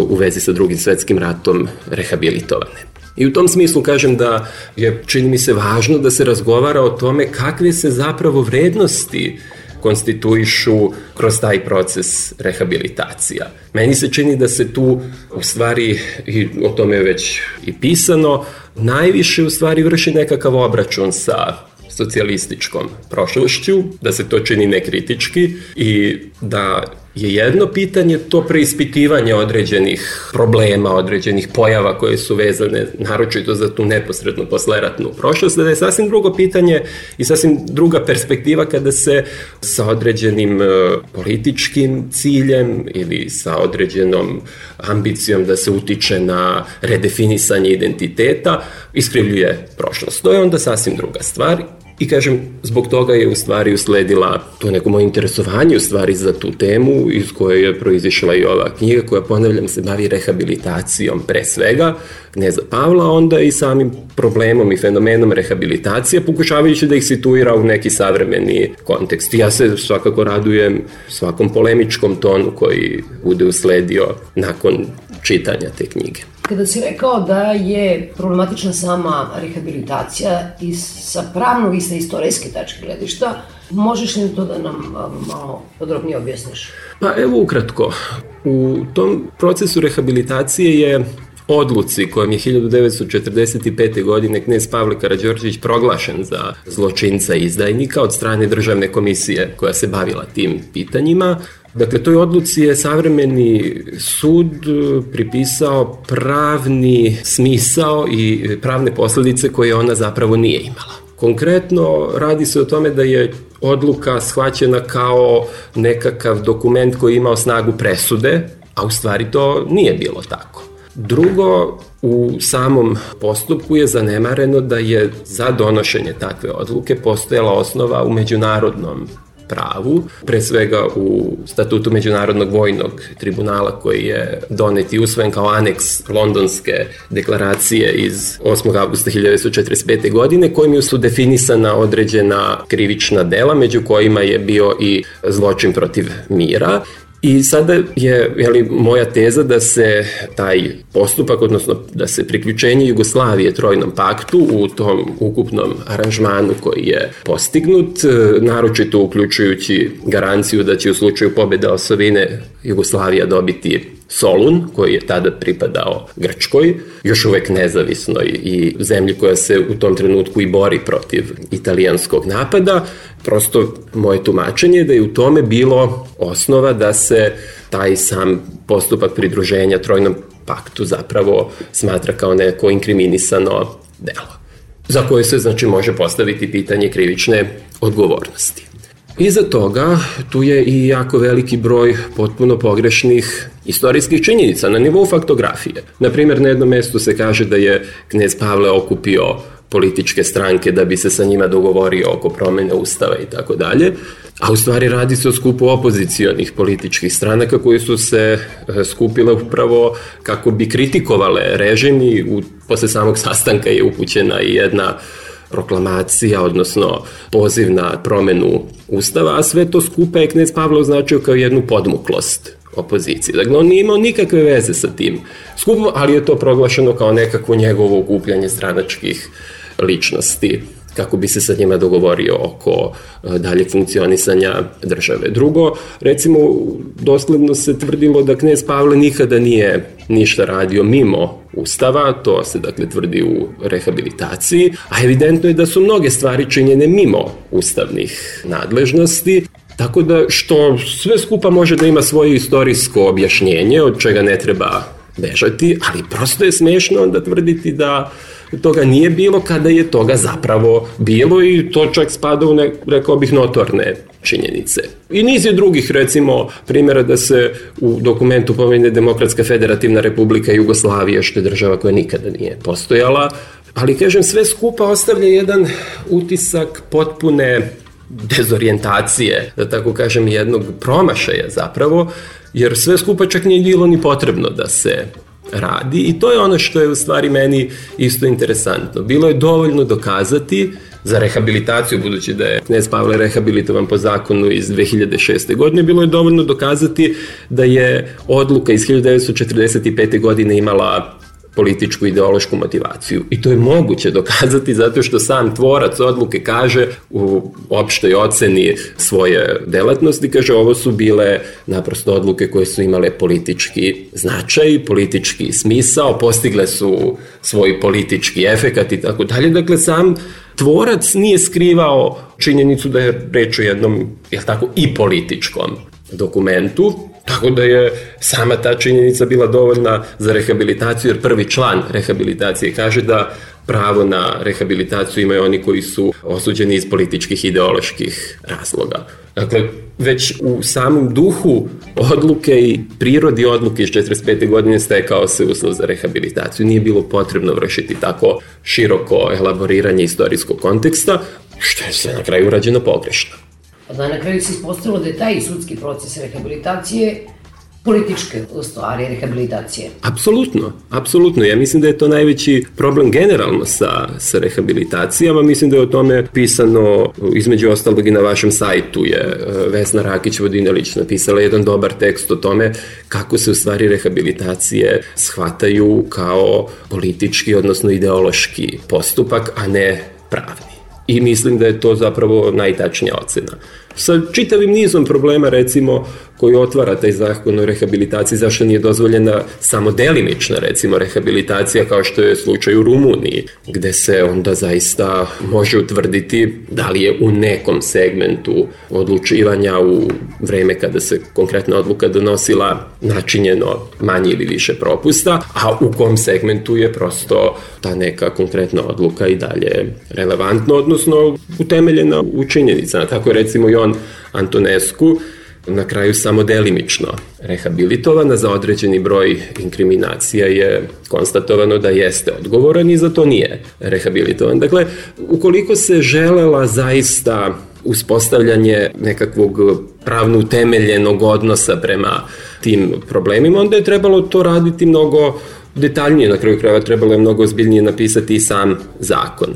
u vezi sa Drugim svetskim ratom rehabilitovane. I u tom smislu kažem da je, čini mi se, važno da se razgovara o tome kakve se zapravo vrednosti konstituišu kroz taj proces rehabilitacija. Meni se čini da se tu u stvari, i o tome je već i pisano, najviše u stvari vrši nekakav obračun sa socijalističkom prošlošću, da se to čini nekritički i da je jedno pitanje to preispitivanje određenih problema, određenih pojava koje su vezane naročito za tu neposrednu posleratnu prošlost, da je sasvim drugo pitanje i sasvim druga perspektiva kada se sa određenim političkim ciljem ili sa određenom ambicijom da se utiče na redefinisanje identiteta iskrivljuje prošlost. To je onda sasvim druga stvar. I kažem, zbog toga je u stvari usledila to neko moje interesovanje u stvari za tu temu iz koje je proizišla i ova knjiga koja, ponavljam, se bavi rehabilitacijom pre svega kneza Pavla, onda i samim problemom i fenomenom rehabilitacije, pokušavajući da ih situira u neki savremeni kontekst. Ja se svakako radujem svakom polemičkom tonu koji bude usledio nakon čitanja te knjige. Kada si rekao da je problematična sama rehabilitacija i sa pravnog i sa istorijske tačke gledišta, možeš li to da nam malo podrobnije objasniš? Pa evo ukratko. U tom procesu rehabilitacije je odluci kojom je hiljadu devetsto četrdeset pete. godine knez Pavle Karađorđević proglašen za zločinca i izdajnika od strane državne komisije koja se bavila tim pitanjima. Dakle, toj odluci je savremeni sud pripisao pravni smisao i pravne posledice koje ona zapravo nije imala. Konkretno, radi se o tome da je odluka shvaćena kao nekakav dokument koji je imao snagu presude, a u stvari to nije bilo tako. Drugo, u samom postupku je zanemareno da je za donošenje takve odluke postojala osnova u međunarodnom pravu, pre svega u statutu Međunarodnog vojnog tribunala koji je donet i usvojen kao aneks Londonske deklaracije iz osmog avgusta hiljadu devetsto četrdeset pete. godine, kojim su definisana određena krivična dela, među kojima je bio i zločin protiv mira. I sada je, jeli, moja teza da se taj postupak, odnosno da se priključenje Jugoslavije Trojnom paktu u tom ukupnom aranžmanu koji je postignut, naročito uključujući garanciju da će u slučaju pobjede osovine Jugoslavija dobiti Solun, koji je tada pripadao Grčkoj, još uvek nezavisnoj i zemlji koja se u tom trenutku i bori protiv italijanskog napada. Prosto moje tumačenje je da je u tome bilo osnova da se taj sam postupak pridruženja Trojnom paktu zapravo smatra kao neko inkriminisano delo, za koje se znači može postaviti pitanje krivične odgovornosti. Iza toga tu je i jako veliki broj potpuno pogrešnih istorijskih činjenica na nivou faktografije. Naprimjer, na jednom mestu se kaže da je knez Pavle okupio političke stranke da bi se sa njima dogovorio oko promene ustava i tako dalje, a u stvari radi se o skupu opozicionih političkih stranaka koji su se skupile upravo kako bi kritikovale režim i u, posle samog sastanka je upućena i jedna proklamacija, odnosno poziv na promenu ustava, a sve to skupa je knez Pavle označio kao jednu podmuklost opozicije. Dakle, on nije imao nikakve veze sa tim skupom, ali je to proglašeno kao nekakvo njegovo okupljanje stranačkih ličnosti, kako bi se sa njima dogovorio oko daljeg funkcionisanja države. Drugo, recimo, dosledno se tvrdilo da knez Pavle nikada nije ništa radio mimo ustava, to se dakle tvrdi u rehabilitaciji, a evidentno je da su mnoge stvari činjene mimo ustavnih nadležnosti, tako da što sve skupa može da ima svoje istorijsko objašnjenje, od čega ne treba bežati, ali prosto je smešno onda tvrditi da toga nije bilo kada je toga zapravo bilo i to čak spada u, ne, rekao bih, notorne činjenice. I niz je drugih, recimo, primjera da se u dokumentu pominje Demokratska federativna republika Jugoslavije, što je država koja nikada nije postojala, ali, kažem, sve skupa ostavlja jedan utisak potpune dezorijentacije, da tako kažem, jednog promašaja zapravo, jer sve skupa čak nije bilo ni potrebno da se radi i to je ono što je u stvari meni isto interesantno. Bilo je dovoljno dokazati za rehabilitaciju, budući da je knez Pavle rehabilitovan po zakonu iz dve hiljade šeste. godine, bilo je dovoljno dokazati da je odluka iz hiljadu devetsto četrdeset pete. godine imala političku ideološku motivaciju. I to je moguće dokazati zato što sam tvorac odluke kaže u opštoj oceni svoje delatnosti, kaže ovo su bile naprosto odluke koje su imale politički značaj, politički smisao, postigle su svoj politički efekat i tako dalje. Dakle, sam tvorac nije skrivao činjenicu da je reč o jednom, jel tako, i političkom dokumentu, tako da je sama ta činjenica bila dovoljna za rehabilitaciju, jer prvi član rehabilitacije kaže da pravo na rehabilitaciju imaju oni koji su osuđeni iz političkih ideoloških razloga. Dakle, već u samom duhu odluke i prirodi odluke iz četrdeset pete. godine stekao se uslov za rehabilitaciju. Nije bilo potrebno vršiti tako široko elaboriranje istorijskog konteksta, što je sve na kraju urađeno pogrešno. Da, na kraju se ispostavilo da je taj sudski proces rehabilitacije političke stvari rehabilitacije. Apsolutno, apsolutno. Ja mislim da je to najveći problem generalno sa, sa rehabilitacijama. Mislim da je o tome pisano, između ostalog i na vašem sajtu je Vesna Rakić-Vodinelić napisala jedan dobar tekst o tome kako se u stvari rehabilitacije shvataju kao politički, odnosno ideološki postupak, a ne pravni. I mislim da je to zapravo najtačnija ocena. Sa čitavim nizom problema, recimo, koji otvara taj zakon o rehabilitaciji, zašto nije dozvoljena samo delimična, recimo, rehabilitacija, kao što je slučaj u Rumuniji, gde se onda zaista može utvrditi da li je u nekom segmentu odlučivanja u vreme kada se konkretna odluka donosila načinjeno manje ili više propusta, a u kom segmentu je prosto ta neka konkretna odluka i dalje relevantna, odnosno utemeljena u činjenicama. Tako je, recimo, i on Antonescu na kraju samo delimično rehabilitovana, za određeni broj inkriminacija je konstatovano da jeste odgovoran i za to nije rehabilitovan. Dakle, ukoliko se želela zaista uspostavljanje nekakvog pravno utemeljenog odnosa prema tim problemima, onda je trebalo to raditi mnogo detaljnije, na kraju krajeva trebalo je mnogo ozbiljnije napisati i sam zakon.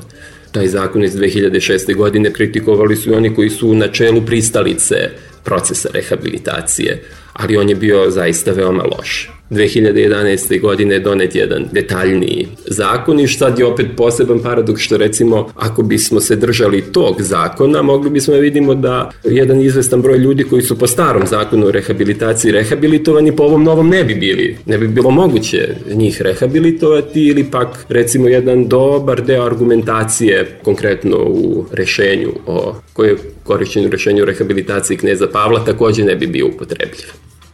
Taj zakon iz dve hiljade šeste. godine kritikovali su i oni koji su na čelu pristalice procesa rehabilitacije, ali on je bio zaista veoma loš. dve hiljade jedanaeste. godine je donet jedan detaljniji zakon i sad je opet poseban paradoks što recimo ako bismo se držali tog zakona mogli bismo da vidimo da jedan izvestan broj ljudi koji su po starom zakonu o rehabilitaciji rehabilitovani po ovom novom ne bi bili, ne bi bilo moguće njih rehabilitovati ili pak recimo jedan dobar deo argumentacije konkretno u rešenju o koje je korišćenju rešenju o rehabilitaciji kneza Pavla takođe ne bi bio upotrebljiv.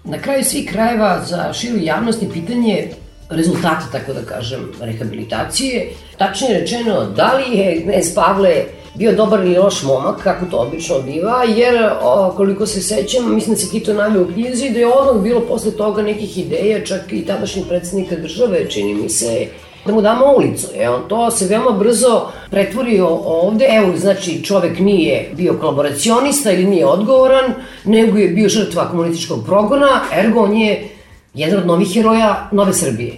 Na kraju svih krajeva za širu javnost je pitanje rezultata, tako da kažem, rehabilitacije. Tačnije rečeno, da li je knez Pavle bio dobar ili loš momak, kako to obično biva, jer o, koliko se sećam, mislim da se ti to naveo u knjizi, da je odmah bilo posle toga nekih ideja, čak i tadašnjeg predsjednika države, čini mi se, da mu damo ulicu. E, on to se veoma brzo pretvorio ovde. Evo, znači, čovek nije bio kolaboracionista ili nije odgovoran, nego je bio žrtva komunističkog progona, ergo on je jedan od novih heroja Nove Srbije.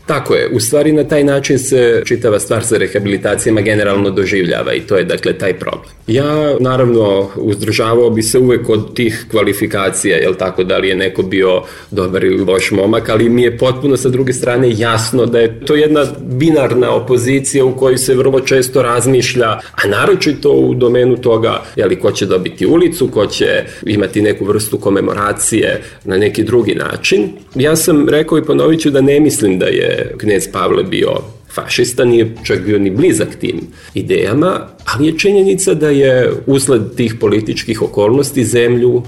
Tako je, u stvari na taj način se čitava stvar sa rehabilitacijama generalno doživljava i to je dakle taj problem. Ja naravno uzdržavao bi se uvek od tih kvalifikacija, jel tako, da li je neko bio dobar ili loš momak, ali mi je potpuno sa druge strane jasno da je to jedna binarna opozicija u kojoj se vrlo često razmišlja, a naročito u domenu toga jeli, ko će dobiti ulicu, ko će imati neku vrstu komemoracije na neki drugi način. Ja sam rekao i ponovit ću da ne mislim da je knez Pavle bio fašista, nije čak bio ni blizak tim idejama, ali je činjenica da je usled tih političkih okolnosti zemlju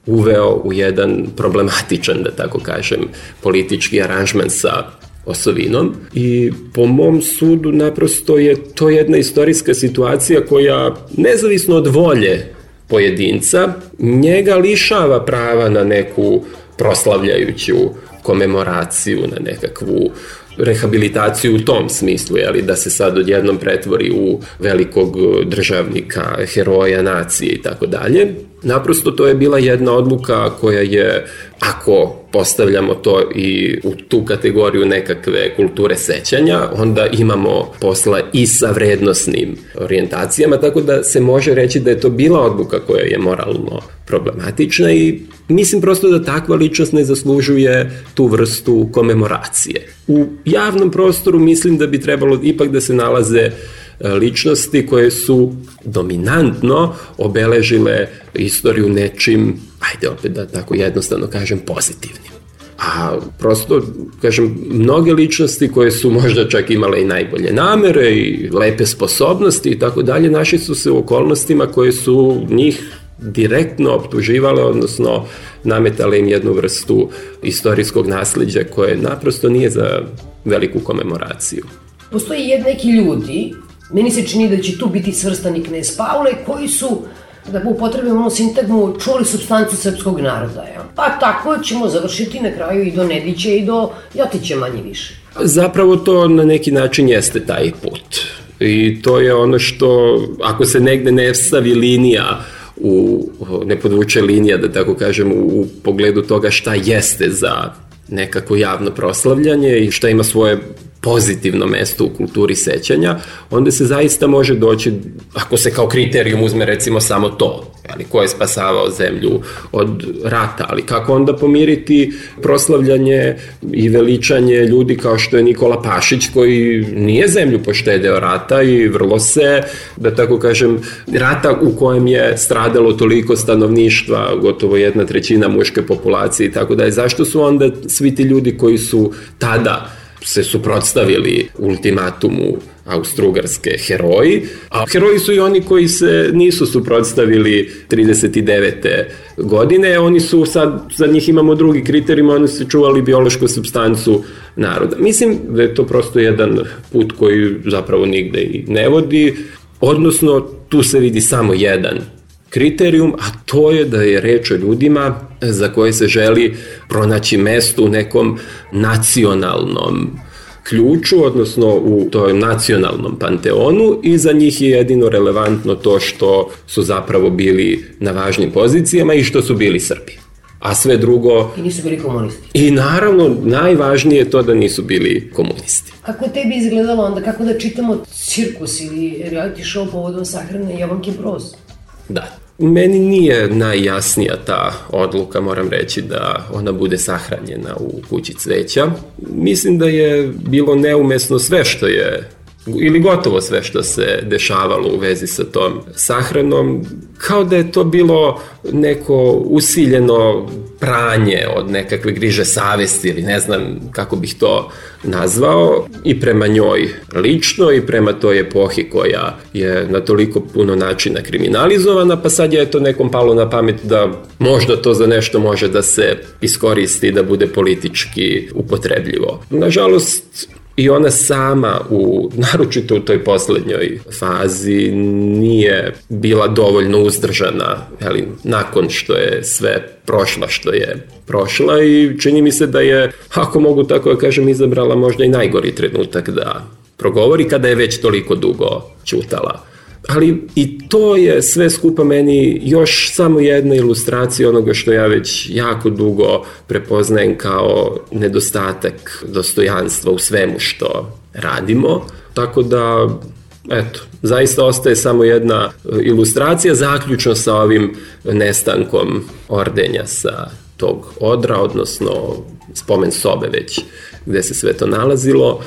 uveo u jedan problematičan, da tako kažem, politički aranžman sa osovinom i po mom sudu naprosto je to jedna istorijska situacija koja nezavisno od volje pojedinca njega lišava prava na neku proslavljajuću komemoraciju, na nekakvu rehabilitaciju u tom smislu, jeli, da se sad odjednom pretvori u velikog državnika, heroja nacije i tako dalje. Naprosto to je bila jedna odluka koja je, ako postavljamo to i u tu kategoriju nekakve kulture sećanja, onda imamo posla i sa vrednosnim orijentacijama, tako da se može reći da je to bila odluka koja je moralno problematična i mislim prosto da takva ličnost ne zaslužuje tu vrstu komemoracije. U javnom prostoru mislim da bi trebalo ipak da se nalaze ličnosti koje su dominantno obeležile istoriju nečim, ajde opet da tako jednostavno kažem, pozitivnim. A prosto, kažem, mnoge ličnosti koje su možda čak imale i najbolje namere i lepe sposobnosti i tako dalje, našli su se u okolnostima koje su njih direktno optuživale, odnosno nametale im jednu vrstu istorijskog nasleđa koje naprosto nije za veliku komemoraciju. Postoji jed neki ljudi, meni se čini da će tu biti svrstani knez Pavle, koji su, da upotrebimo onu sintagmu, čuli supstancu srpskog naroda. Ja? Pa tako ćemo završiti na kraju i do Nedića i do Jotića manje više. Zapravo to na neki način jeste taj put. I to je ono što, ako se negde ne stavi linija, u, ne podvuče linija, da tako kažem, u pogledu toga šta jeste za nekako javno proslavljanje i šta ima svoje pozitivno mesto u kulturi sećanja, onda se zaista može doći, ako se kao kriterijum uzme recimo samo to, ali ko je spasavao zemlju od rata, ali kako onda pomiriti proslavljanje i veličanje ljudi kao što je Nikola Pašić, koji nije zemlju poštedeo rata i vrlo se, da tako kažem, rata u kojem je stradalo toliko stanovništva, gotovo jedna trećina muške populacije i tako da je. Zašto su onda svi ti ljudi koji su tada se suprotstavili ultimatumu Austro-Ugarske heroji, a heroji su i oni koji se nisu suprotstavili trideset devete godine, oni su sad, za njih imamo drugi kriterijum, oni su čuvali biološku supstancu naroda. Mislim da je to prosto jedan put koji zapravo nigde i ne vodi, odnosno tu se vidi samo jedan kriterijum, a to je da je reč o ljudima za koje se želi pronaći mesto u nekom nacionalnom ključu, odnosno u tom nacionalnom panteonu, i za njih je jedino relevantno to što su zapravo bili na važnim pozicijama i što su bili Srbi. A sve drugo... I nisu bili komunisti. I naravno, najvažnije je to da nisu bili komunisti. Kako je tebi izgledalo onda, kako da čitamo cirkus ili reality show povodom sahrane Jovanke Broz? Da. Meni nije najjasnija ta odluka, moram reći, da ona bude sahranjena u kući cveća. Mislim da je bilo neumesno sve što je, ili gotovo sve što se dešavalo u vezi sa tom sahranom, kao da je to bilo neko usiljeno pranje od nekakve griže savesti ili ne znam kako bih to nazvao, i prema njoj lično i prema toj epohi koja je na toliko puno načina kriminalizovana, pa sad je to nekom palo na pamet da možda to za nešto može da se iskoristi, da bude politički upotrebljivo. Nažalost, i ona sama, u, naročito u toj poslednjoj fazi, nije bila dovoljno uzdržana, jeli, nakon što je sve prošla što je prošla, i čini mi se da je, ako mogu tako da kažem, izabrala možda i najgori trenutak da progovori kada je već toliko dugo ćutala. Ali i to je sve skupa meni još samo jedna ilustracija onoga što ja već jako dugo prepoznajem kao nedostatak dostojanstva u svemu što radimo. Tako da, eto, zaista ostaje samo jedna ilustracija, zaključno sa ovim nestankom ordenja sa tog odra, odnosno spomen sobe već gde se sve to nalazilo.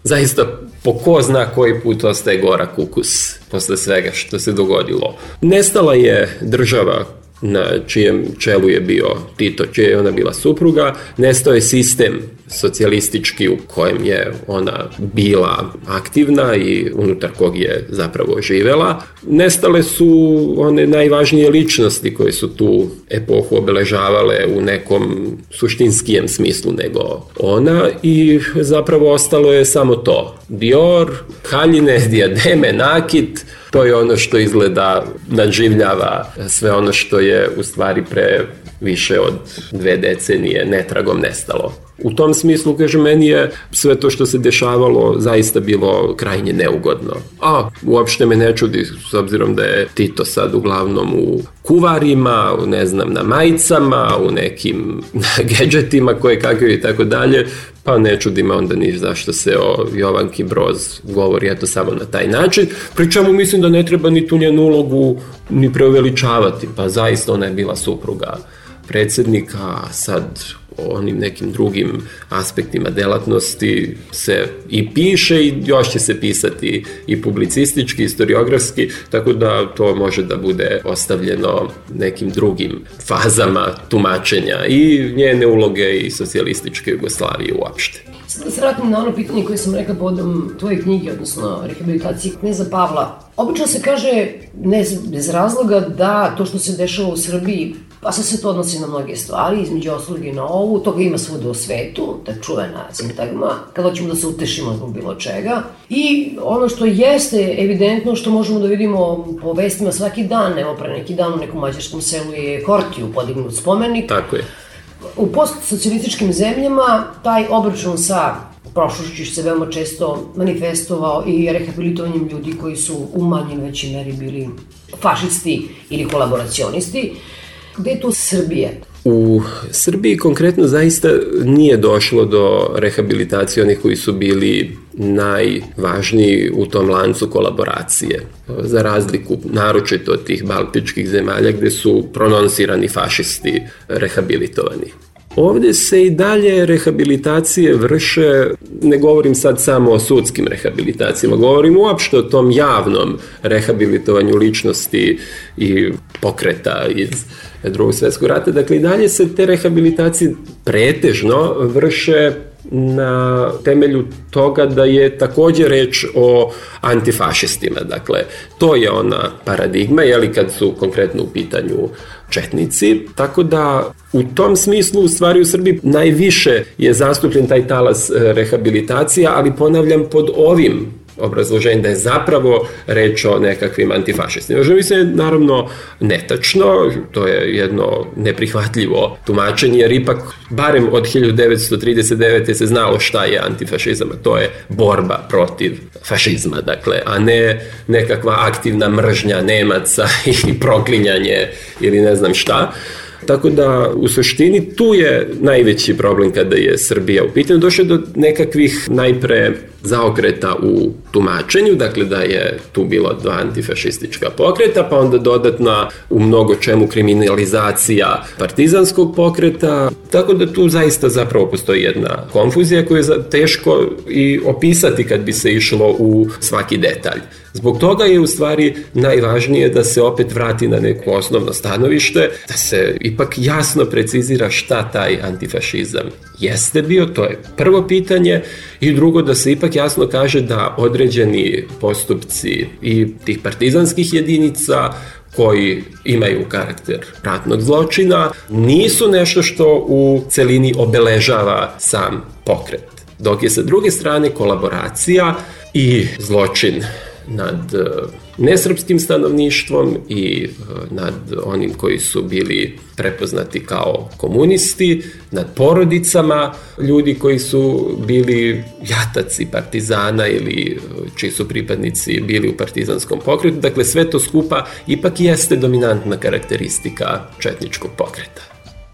Zaista po ko zna koji put ostaje gorak ukus posle svega što se dogodilo. Nestala je država na čijem čelu je bio Tito, čija je ona bila supruga, nestao je sistem socijalistički u kojem je ona bila aktivna i unutar kog je zapravo živela. Nestale su one najvažnije ličnosti koje su tu epohu obeležavale u nekom suštinskijem smislu nego ona, i zapravo ostalo je samo to. Dior, haljine, dijademe, nakit, to je ono što izgleda nadživljava sve ono što je u stvari pre više od dve decenije netragom nestalo. U tom smislu, kažem, meni je sve to što se dešavalo zaista bilo krajnje neugodno. A uopšte me ne čudi, s obzirom da je Tito sad uglavnom u kuvarima, u, ne znam, na majicama, u nekim gedžetima koje kakve i tako dalje, pa ne čudi me onda ni zašto se o Jovanki Broz govori eto samo na taj način. Pri čemu mislim da ne treba ni tu njenu ulogu ni preuveličavati, pa zaista ona je bila supruga predsednika, a sad o onim nekim drugim aspektima delatnosti se i piše i još će se pisati i publicistički, historiografski, tako da to može da bude ostavljeno nekim drugim fazama tumačenja i njene uloge i socijalističke Jugoslavije uopšte. Sada da se vratim na ono pitanje koje sam rekla povodom tvoje knjige, odnosno rehabilitacije kneza Pavla. Obično se kaže, ne bez razloga, da to što se dešava u Srbiji, pa se sve to odnosi na mnoge stvari, između ostalog i na ovu, toga ima svuda u svetu, ta čuvena sintagma, kada hoćemo da se utešimo zbog bilo čega. I ono što jeste evidentno, što možemo da vidimo po vestima svaki dan, evo pre neki dan u nekom mađarskom selu je Hortiju podignut spomenik. Tako je. U postsocijalističkim zemljama taj obračun sa prošlošću se veoma često manifestovao i rehabilitovanjem ljudi koji su u manjoj većoj meri bili fašisti ili kolaboracionisti. Gde je tu Srbija? U Srbiji konkretno zaista nije došlo do rehabilitacije onih koji su bili najvažniji u tom lancu kolaboracije. Za razliku naročito od tih baltičkih zemalja gde su prononsirani fašisti rehabilitovani. Ovde se i dalje rehabilitacije vrše, ne govorim sad samo o sudskim rehabilitacijama, govorim uopšte o tom javnom rehabilitovanju ličnosti i pokreta iz Drugog svjetskog rata. Dakle, i dalje se te rehabilitacije pretežno vrše na temelju toga da je takođe reč o antifašistima. Dakle, to je ona paradigma, jeli, kad su konkretno u pitanju četnici, tako da u tom smislu u stvari u Srbiji najviše je zastupljen taj talas rehabilitacija, ali ponavljam pod ovim obrazloženje da je zapravo reč o nekakvim antifašistima. Što mislim je naravno netačno, to je jedno neprihvatljivo tumačenje, jer ipak barem od hiljadu devetsto trideset devete. se znalo šta je antifašizam, a to je borba protiv fašizma, dakle, a ne nekakva aktivna mržnja Nemaca i proklinjanje ili ne znam šta. Tako da, u suštini, tu je najveći problem kada je Srbija u pitanju. Došlo je do nekakvih najpre zaokreta u tumačenju, dakle da je tu bilo dva antifašistička pokreta, pa onda dodatna u mnogo čemu kriminalizacija partizanskog pokreta, tako da tu zaista zapravo postoji jedna konfuzija koju je teško i opisati kad bi se išlo u svaki detalj. Zbog toga je u stvari najvažnije da se opet vrati na neko osnovno stanovište, da se ipak jasno precizira šta taj antifašizam jeste bio, to je prvo pitanje, i drugo da se ipak jasno kaže da određeni postupci i tih partizanskih jedinica koji imaju karakter ratnog zločina nisu nešto što u celini obeležava sam pokret. Dok je sa druge strane kolaboracija i zločin nad nesrpskim stanovništvom i nad onim koji su bili prepoznati kao komunisti, nad porodicama ljudi koji su bili jataci partizana ili čiji su pripadnici bili u partizanskom pokretu. Dakle, sve to skupa ipak jeste dominantna karakteristika četničkog pokreta.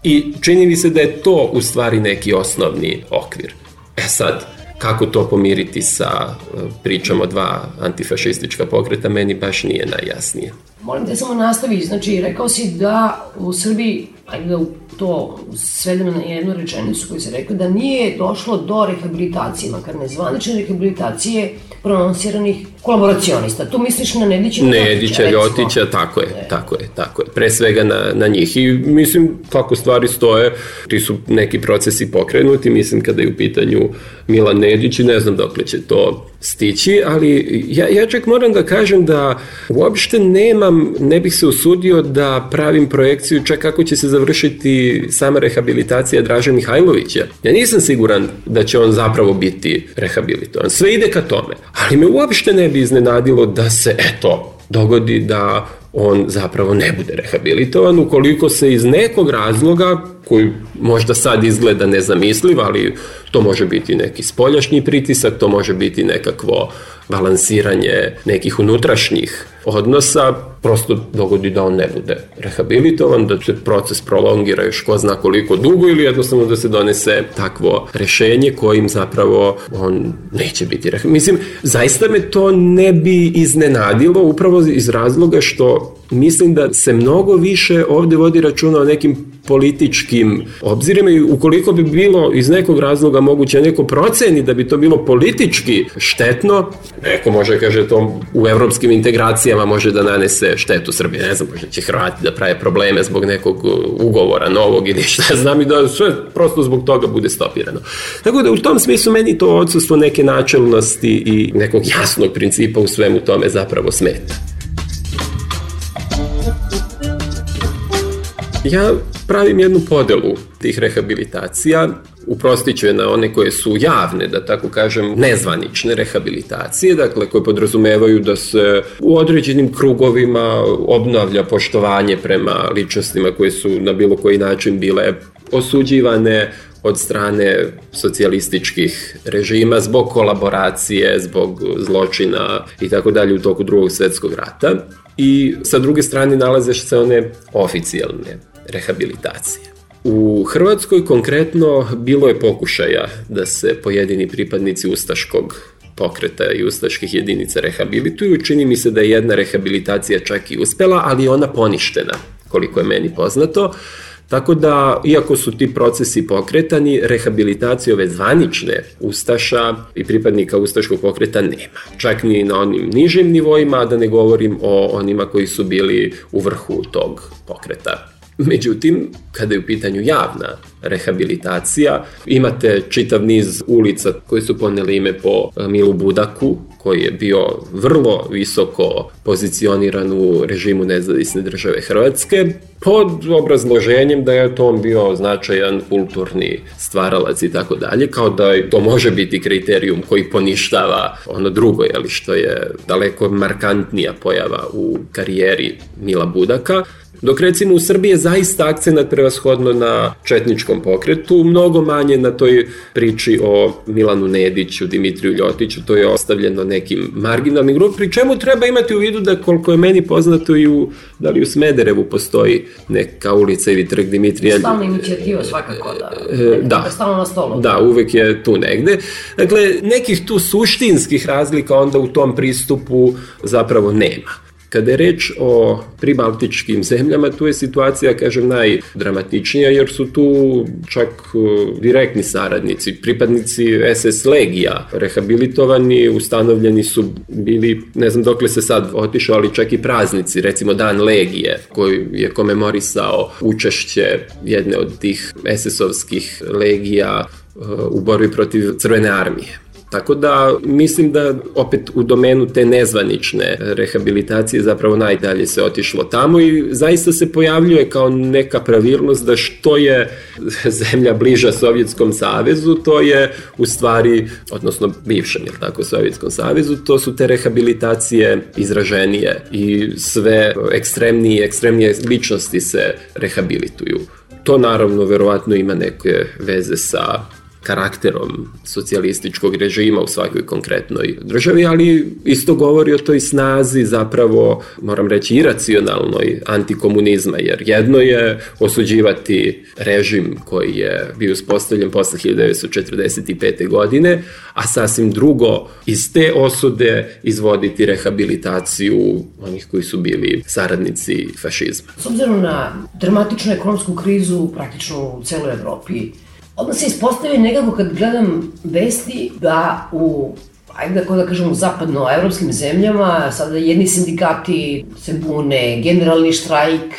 I čini mi se da je to u stvari neki osnovni okvir. E sad, kako to pomiriti sa pričom o dva antifašistička pokreta, meni baš nije najjasnije. Molim te samo nastavi, znači rekao si da u Srbiji, ajde da to svedemo na jednu rečenicu koju se rekao, da nije došlo do rehabilitacije, makar nezvanične rehabilitacije prononsiranih kolaboracionista. Tu misliš na Nedića i Nedića, Ljotića, tako je, ne. tako je, tako je. Pre svega na, na njih. I mislim, kako stvari stoje, ti su neki procesi pokrenuti, mislim kada je u pitanju Milan Nedić i ne znam dokle će to stići, ali ja, ja čak moram da kažem da uopšte nemam, ne bih se usudio da pravim projekciju čak kako će se završiti sama rehabilitacija Draže Mihajlovića. Ja nisam siguran da će on zapravo biti rehabilitovan. Sve ide ka tome, ali me uopšte ne bi iznenadilo da se, eto, dogodi da on zapravo ne bude rehabilitovan ukoliko se iz nekog razloga, koji možda sad izgleda nezamisliv, ali to može biti neki spoljašnji pritisak, to može biti nekakvo balansiranje nekih unutrašnjih odnosa, prosto dogodi da on ne bude rehabilitovan, da se proces prolongira još ko zna koliko dugo ili jednostavno da se donese takvo rešenje kojim zapravo on neće biti rehabilitovan. Mislim, zaista me to ne bi iznenadilo upravo iz razloga što mislim da se mnogo više ovde vodi računa o nekim političkim obzirima i ukoliko bi bilo iz nekog razloga moguće neko proceni da bi to bilo politički štetno, neko može kaže to u evropskim integracijama može da nanese štetu Srbije, ne znam, možda će Hrvati da prave probleme zbog nekog ugovora novog ili šta znam i da sve prosto zbog toga bude stopirano. Tako da u tom smislu meni to odsustvo neke načelnosti i nekog jasnog principa u svemu tome zapravo smeta. Ja pravim jednu podelu tih rehabilitacija, uprostit ću je na one koje su javne, da tako kažem, nezvanične rehabilitacije, dakle koje podrazumevaju da se u određenim krugovima obnavlja poštovanje prema ličnostima koje su na bilo koji način bile osuđivane od strane socijalističkih režima zbog kolaboracije, zbog zločina i tako dalje u toku Drugog svjetskog rata. I sa druge strane nalaze se one oficijalne rehabilitacije. U Hrvatskoj konkretno bilo je pokušaja da se pojedini pripadnici ustaškog pokreta i ustaških jedinica rehabilituju. Čini mi se da je jedna rehabilitacija čak i uspela, ali je ona poništena, koliko je meni poznato. Tako da, iako su ti procesi pokretani, rehabilitacije ove zvanične ustaša i pripadnika ustaškog pokreta nema. Čak ni na onim nižim nivoima, da ne govorim o onima koji su bili u vrhu tog pokreta. Međutim, kada je u pitanju javna rehabilitacija, imate čitav niz ulica koje su poneli ime po Milu Budaku, koji je bio vrlo visoko pozicioniran u režimu nezavisne države Hrvatske, pod obrazloženjem da je to on bio značajan kulturni stvaralac i tako dalje, kao da to može biti kriterijum koji poništava ono drugo, jeli, što je daleko markantnija pojava u karijeri Mila Budaka. Dok recimo u Srbiji je zaista akcenat prevashodno na četničkom pokretu, mnogo manje na toj priči o Milanu Nediću, Dimitriju Ljotiću, to je ostavljeno nekim marginalnim grupom, pri čemu treba imati u vidu da koliko je meni poznato i u, da li u Smederevu postoji neka ulica ili trg Dimitrija. Stalna inicijativa svakako, da. E, da, stalno na stolu. Da, uvek je tu negde. Dakle, nekih tu suštinskih razlika onda u tom pristupu zapravo nema. Kada je reč o pribaltičkim zemljama, tu je situacija, kažem, najdramatičnija, jer su tu čak direktni saradnici, pripadnici es es legija, rehabilitovani, ustanovljeni su bili, ne znam dokle se sad otišao, ali čak i praznici, recimo Dan legije, koji je komemorisao učešće jedne od tih es esovskih legija u borbi protiv Crvene armije. Tako da mislim da opet u domenu te nezvanične rehabilitacije zapravo najdalje se otišlo tamo i zaista se pojavljuje kao neka pravilnost da što je zemlja bliža Sovjetskom savezu, to je u stvari, odnosno bivšem, jel tako, Sovjetskom savezu, to su te rehabilitacije izraženije i sve ekstremnije, ekstremnije ličnosti se rehabilituju. To naravno verovatno ima neke veze sa karakterom socijalističkog režima u svakoj konkretnoj državi, ali isto govori o toj snazi zapravo, moram reći, iracionalnoj antikomunizma, jer jedno je osuđivati režim koji je bio uspostavljen posle hiljadu devetsto četrdeset pete. godine, a sasvim drugo iz te osude izvoditi rehabilitaciju onih koji su bili saradnici fašizma. S obzirom na dramatičnu ekonomsku krizu praktično u celoj Evropi, odmah se ispostavi nekako kad gledam vesti da u, ajde da kažem, u zapadnoevropskim zemljama sada jedni sindikati se bune, generalni štrajk,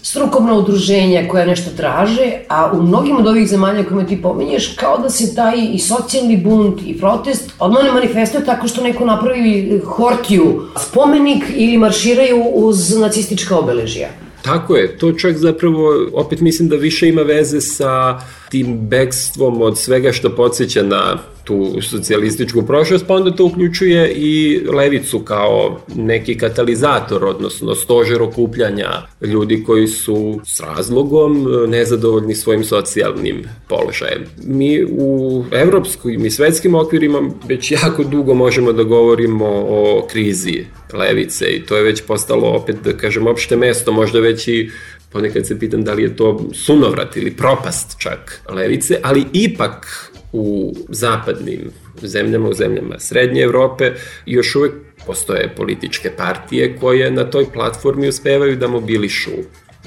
strukovna udruženja koja nešto traže, a u mnogim od ovih zemalja koje ti pominješ, kao da se taj i socijalni bunt i protest odmah ne manifestuje tako što neko napravi hortiju, spomenik ili marširaju uz nacistička obeležja. Tako je, to čak zapravo, opet mislim da više ima veze sa tim bekstvom od svega što podsjeća na tu socijalističku prošlost, pa onda to uključuje i levicu kao neki katalizator, odnosno stožer okupljanja ljudi koji su s razlogom nezadovoljni svojim socijalnim položajem. Mi u evropskim i svetskim okvirima već jako dugo možemo da govorimo o krizi levice i to je već postalo, opet da kažem, opšte mesto, možda već i ponekad se pitam da li je to sunovrat ili propast čak levice, ali ipak u zapadnim zemljama, u zemljama Srednje Evrope još uvek postoje političke partije koje na toj platformi uspevaju da mobilišu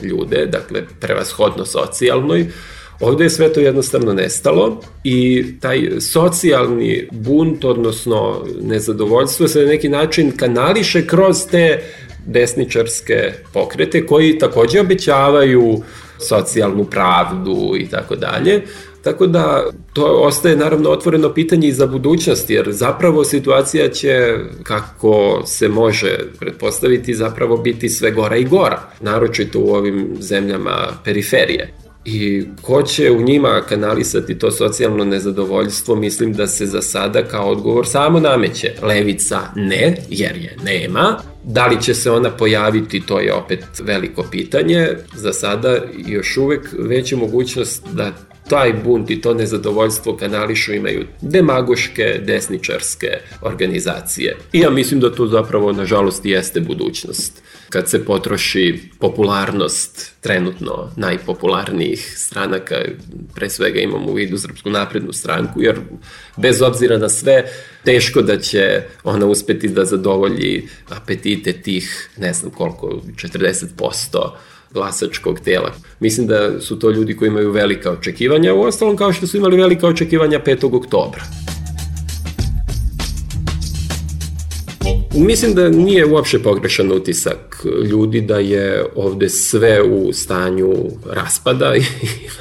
ljude, dakle prevashodno socijalnoj. Ovde je sve to jednostavno nestalo i taj socijalni bunt, odnosno nezadovoljstvo, se na neki način kanališe kroz te desničarske pokrete koji takođe obećavaju socijalnu pravdu i tako dalje. Tako da to ostaje naravno otvoreno pitanje i za budućnost, jer zapravo situacija će, kako se može pretpostaviti, zapravo biti sve gora i gora, naročito u ovim zemljama periferije. I ko će u njima kanalisati to socijalno nezadovoljstvo, mislim da se za sada kao odgovor samo nameće. Levica ne, jer je nema. Da li će se ona pojaviti, to je opet veliko pitanje. Za sada još uvek veća mogućnost da taj bunt i to nezadovoljstvo kanališu imaju demagoške, desničarske organizacije. I ja mislim da to zapravo, nažalost, jeste budućnost. Kad se potroši popularnost trenutno najpopularnijih stranaka, pre svega imamo u vidu Srpsku naprednu stranku, jer bez obzira na sve, teško da će ona uspeti da zadovolji apetite tih, ne znam koliko, četrdeset posto glasačkog tela. Mislim da su to ljudi koji imaju velika očekivanja, u ostalom kao što su imali velika očekivanja petog oktobra. Mislim da nije uopšte pogrešan utisak ljudi da je ovde sve u stanju raspada i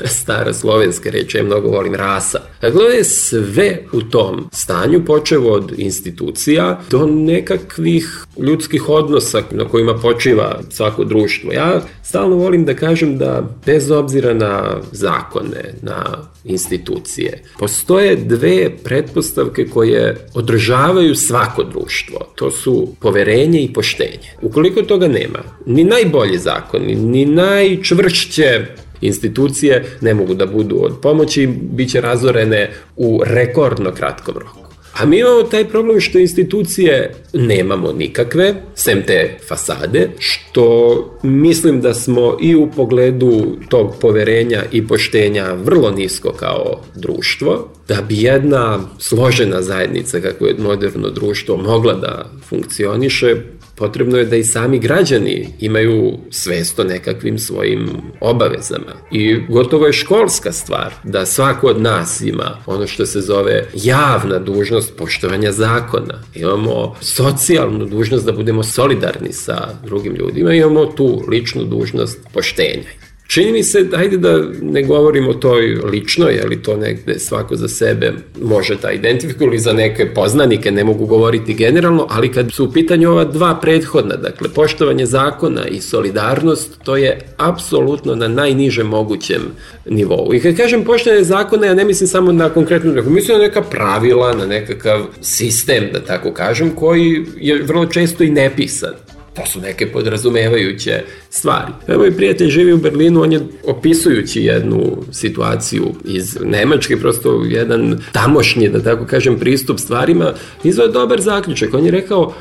stara slovenska reč, ja mnogo volim rasa. Dakle, je sve u tom stanju, počev od institucija do nekakvih ljudskih odnosa na kojima počiva svako društvo. Ja stalno volim da kažem da bez obzira na zakone, na institucije, postoje dve pretpostavke koje održavaju svako društvo. To su poverenje i poštenje. Ukoliko toga nema, ni najbolji zakoni, ni najčvršće institucije ne mogu da budu od pomoći, bit će razorene u rekordno kratkom roku. A mi imamo taj problem što institucije nemamo nikakve, sem te fasade, što mislim da smo i u pogledu tog poverenja i poštenja vrlo nisko kao društvo, da bi jedna složena zajednica, kako je moderno društvo, mogla da funkcioniše, potrebno je da i sami građani imaju svest o nekakvim svojim obavezama. I gotovo je školska stvar da svako od nas ima ono što se zove javna dužnost poštovanja zakona. Imamo socijalnu dužnost da budemo solidarni sa drugim ljudima, imamo tu ličnu dužnost poštenja. Čini mi se, hajde da ne govorimo o toj ličnoj, je li to negde svako za sebe može da identifikuje ili za neke poznanike, ne mogu govoriti generalno, ali kad su u pitanju ova dva prethodna, dakle poštovanje zakona i solidarnost, to je apsolutno na najnižem mogućem nivou. I kad kažem poštovanje zakona, ja ne mislim samo na konkretnu, mislim na neka pravila, na nekakav sistem, da tako kažem, koji je vrlo često i nepisan. To su neke podrazumevajuće stvari. Moj prijatelj živi u Berlinu, on je opisujući jednu situaciju iz Nemačke, prosto jedan tamošnji, da tako kažem, pristup stvarima, izveo dobar zaključak. On je rekao,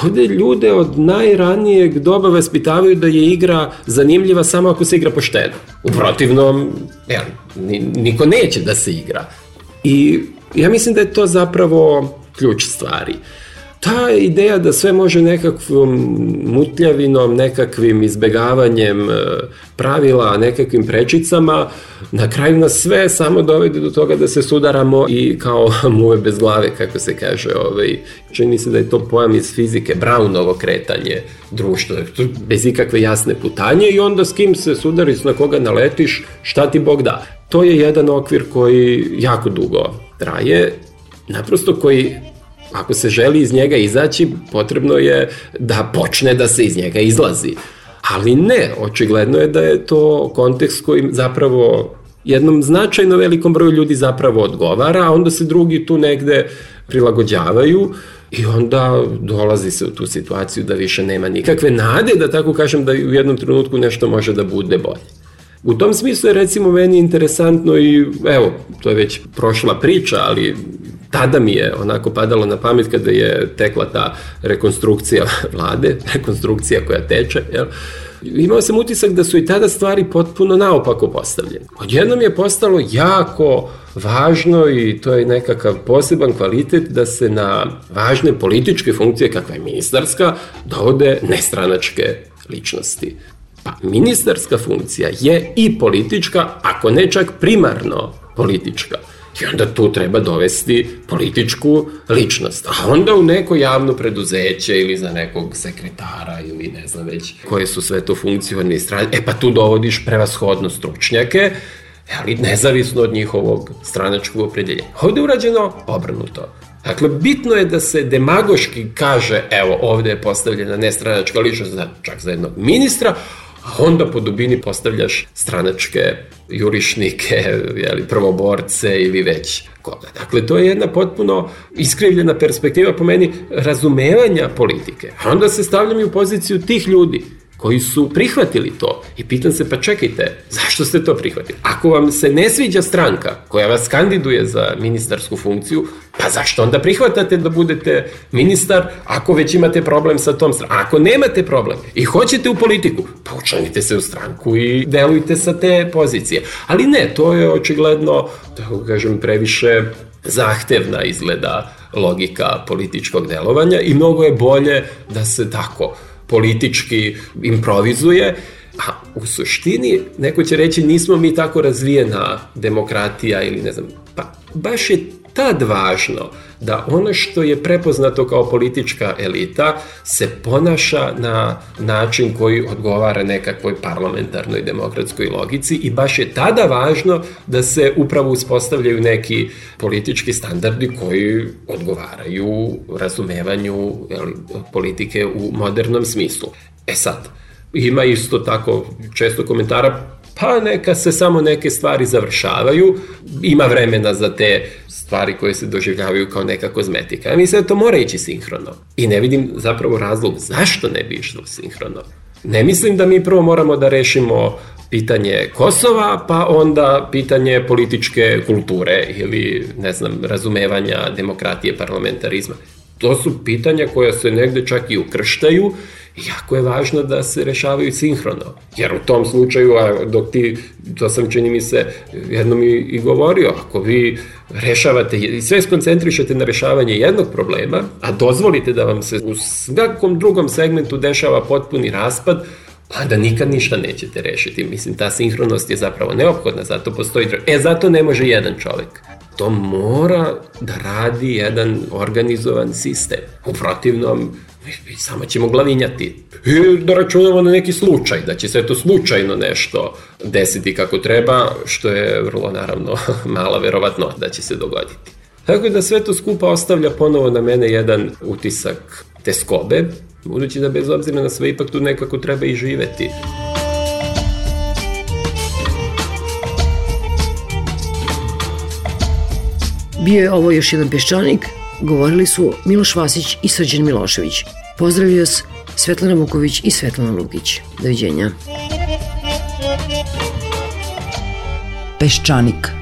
ovde ljude od najranijeg doba vaspitavaju da je igra zanimljiva samo ako se igra pošteno. U protivnom, ja, niko neće da se igra. I ja mislim da je to zapravo ključ stvari. Ta ideja da sve može nekakvom mutljavinom, nekakvim izbegavanjem pravila, nekakvim prečicama, na kraju nas sve samo dovede do toga da se sudaramo i kao muve bez glave, kako se kaže. Ovaj, čini se da je to pojam iz fizike, Brownovo kretanje društva, bez ikakve jasne putanje i onda s kim se sudariš, na koga naletiš, šta ti Bog da. To je jedan okvir koji jako dugo traje, naprosto koji, ako se želi iz njega izaći, potrebno je da počne da se iz njega izlazi. Ali ne, očigledno je da je to kontekst koji zapravo jednom značajno velikom broju ljudi zapravo odgovara, a onda se drugi tu negde prilagođavaju i onda dolazi se u tu situaciju da više nema nikakve nade, da tako kažem, da u jednom trenutku nešto može da bude bolje. U tom smislu je recimo meni interesantno i, evo, to je već prošla priča, ali tada mi je onako padalo na pamet kada je tekla ta rekonstrukcija vlade, rekonstrukcija koja teče, jel? Imao sam utisak da su i tada stvari potpuno naopako postavljene. Odjednom je postalo jako važno i to je nekakav poseban kvalitet da se na važne političke funkcije, kakva je ministarska, dovode nestranačke ličnosti. Pa ministarska funkcija je i politička, ako ne čak primarno politička. I onda tu treba dovesti političku ličnost. A onda u neko javno preduzeće ili za nekog sekretara ili ne znam već koje su sve to funkcionalne strane. E pa tu dovodiš prevashodno stručnjake, ali nezavisno od njihovog stranačkog opredeljenja. Ovde je urađeno obrnuto. Dakle, bitno je da se demagoški kaže, evo, ovde je postavljena nestranačka ličnost, čak za jednog ministra, a onda po dubini postavljaš stranačke jurišnike, jeli, prvoborce ili već koga. Dakle, to je jedna potpuno iskrivljena perspektiva po meni razumevanja politike. A onda se stavljam i u poziciju tih ljudi koji su prihvatili to. I pitam se, pa čekajte, zašto ste to prihvatili? Ako vam se ne sviđa stranka koja vas kandiduje za ministarsku funkciju, pa zašto onda prihvatate da budete ministar ako već imate problem sa tom strankom? Ako nemate problem i hoćete u politiku, pa učlanite se u stranku i delujte sa te pozicije. Ali ne, to je očigledno, tako kažem, previše zahtevna izgleda logika političkog delovanja i mnogo je bolje da se tako politički improvizuje, a u suštini, neko će reći, nismo mi tako razvijena demokratija ili ne znam, pa baš je tad važno da ono što je prepoznato kao politička elita se ponaša na način koji odgovara nekakvoj parlamentarnoj demokratskoj logici i baš je tada važno da se upravo uspostavljaju neki politički standardi koji odgovaraju razumevanju jeli, politike u modernom smislu. E sad, ima isto tako često komentara, pa neka se samo neke stvari završavaju, ima vremena za te stvari koje se doživljavaju kao neka kozmetika. Ja mislim da to mora ići sinhrono. I ne vidim zapravo razlog zašto ne bi išlo sinhrono. Ne mislim da mi prvo moramo da rešimo pitanje Kosova, pa onda pitanje političke kulture ili, ne znam, razumevanja demokratije, parlamentarizma. To su pitanja koja se negde čak i ukrštaju. Jako je važno da se rešavaju sinhrono, jer u tom slučaju, a dok ti, to sam čini mi se jednom i, i govorio, ako vi rešavate i sve skoncentrišete na rešavanje jednog problema, a dozvolite da vam se u svakom drugom segmentu dešava potpuni raspad, pa da nikad ništa nećete rešiti. Mislim, ta sinhronost je zapravo neophodna, zato postoji... E, zato ne može jedan čovek. To mora da radi jedan organizovan sistem. U protivnom, mi samo ćemo glavinjati. I da računamo na neki slučaj, da će se to slučajno nešto desiti kako treba, što je vrlo, naravno, mala verovatno da će se dogoditi. Tako da sve to skupa ostavlja ponovo na mene jedan utisak teskobe, budući da bez obzira na sve ipak tu nekako treba i živeti. Bio je ovo još jedan Peščanik, govorili su Miloš Vasić i Srđan Milošević. Pozdravljaju vas Svetlana Vuković i Svetlana Lukić. Doviđenja. Peščanik.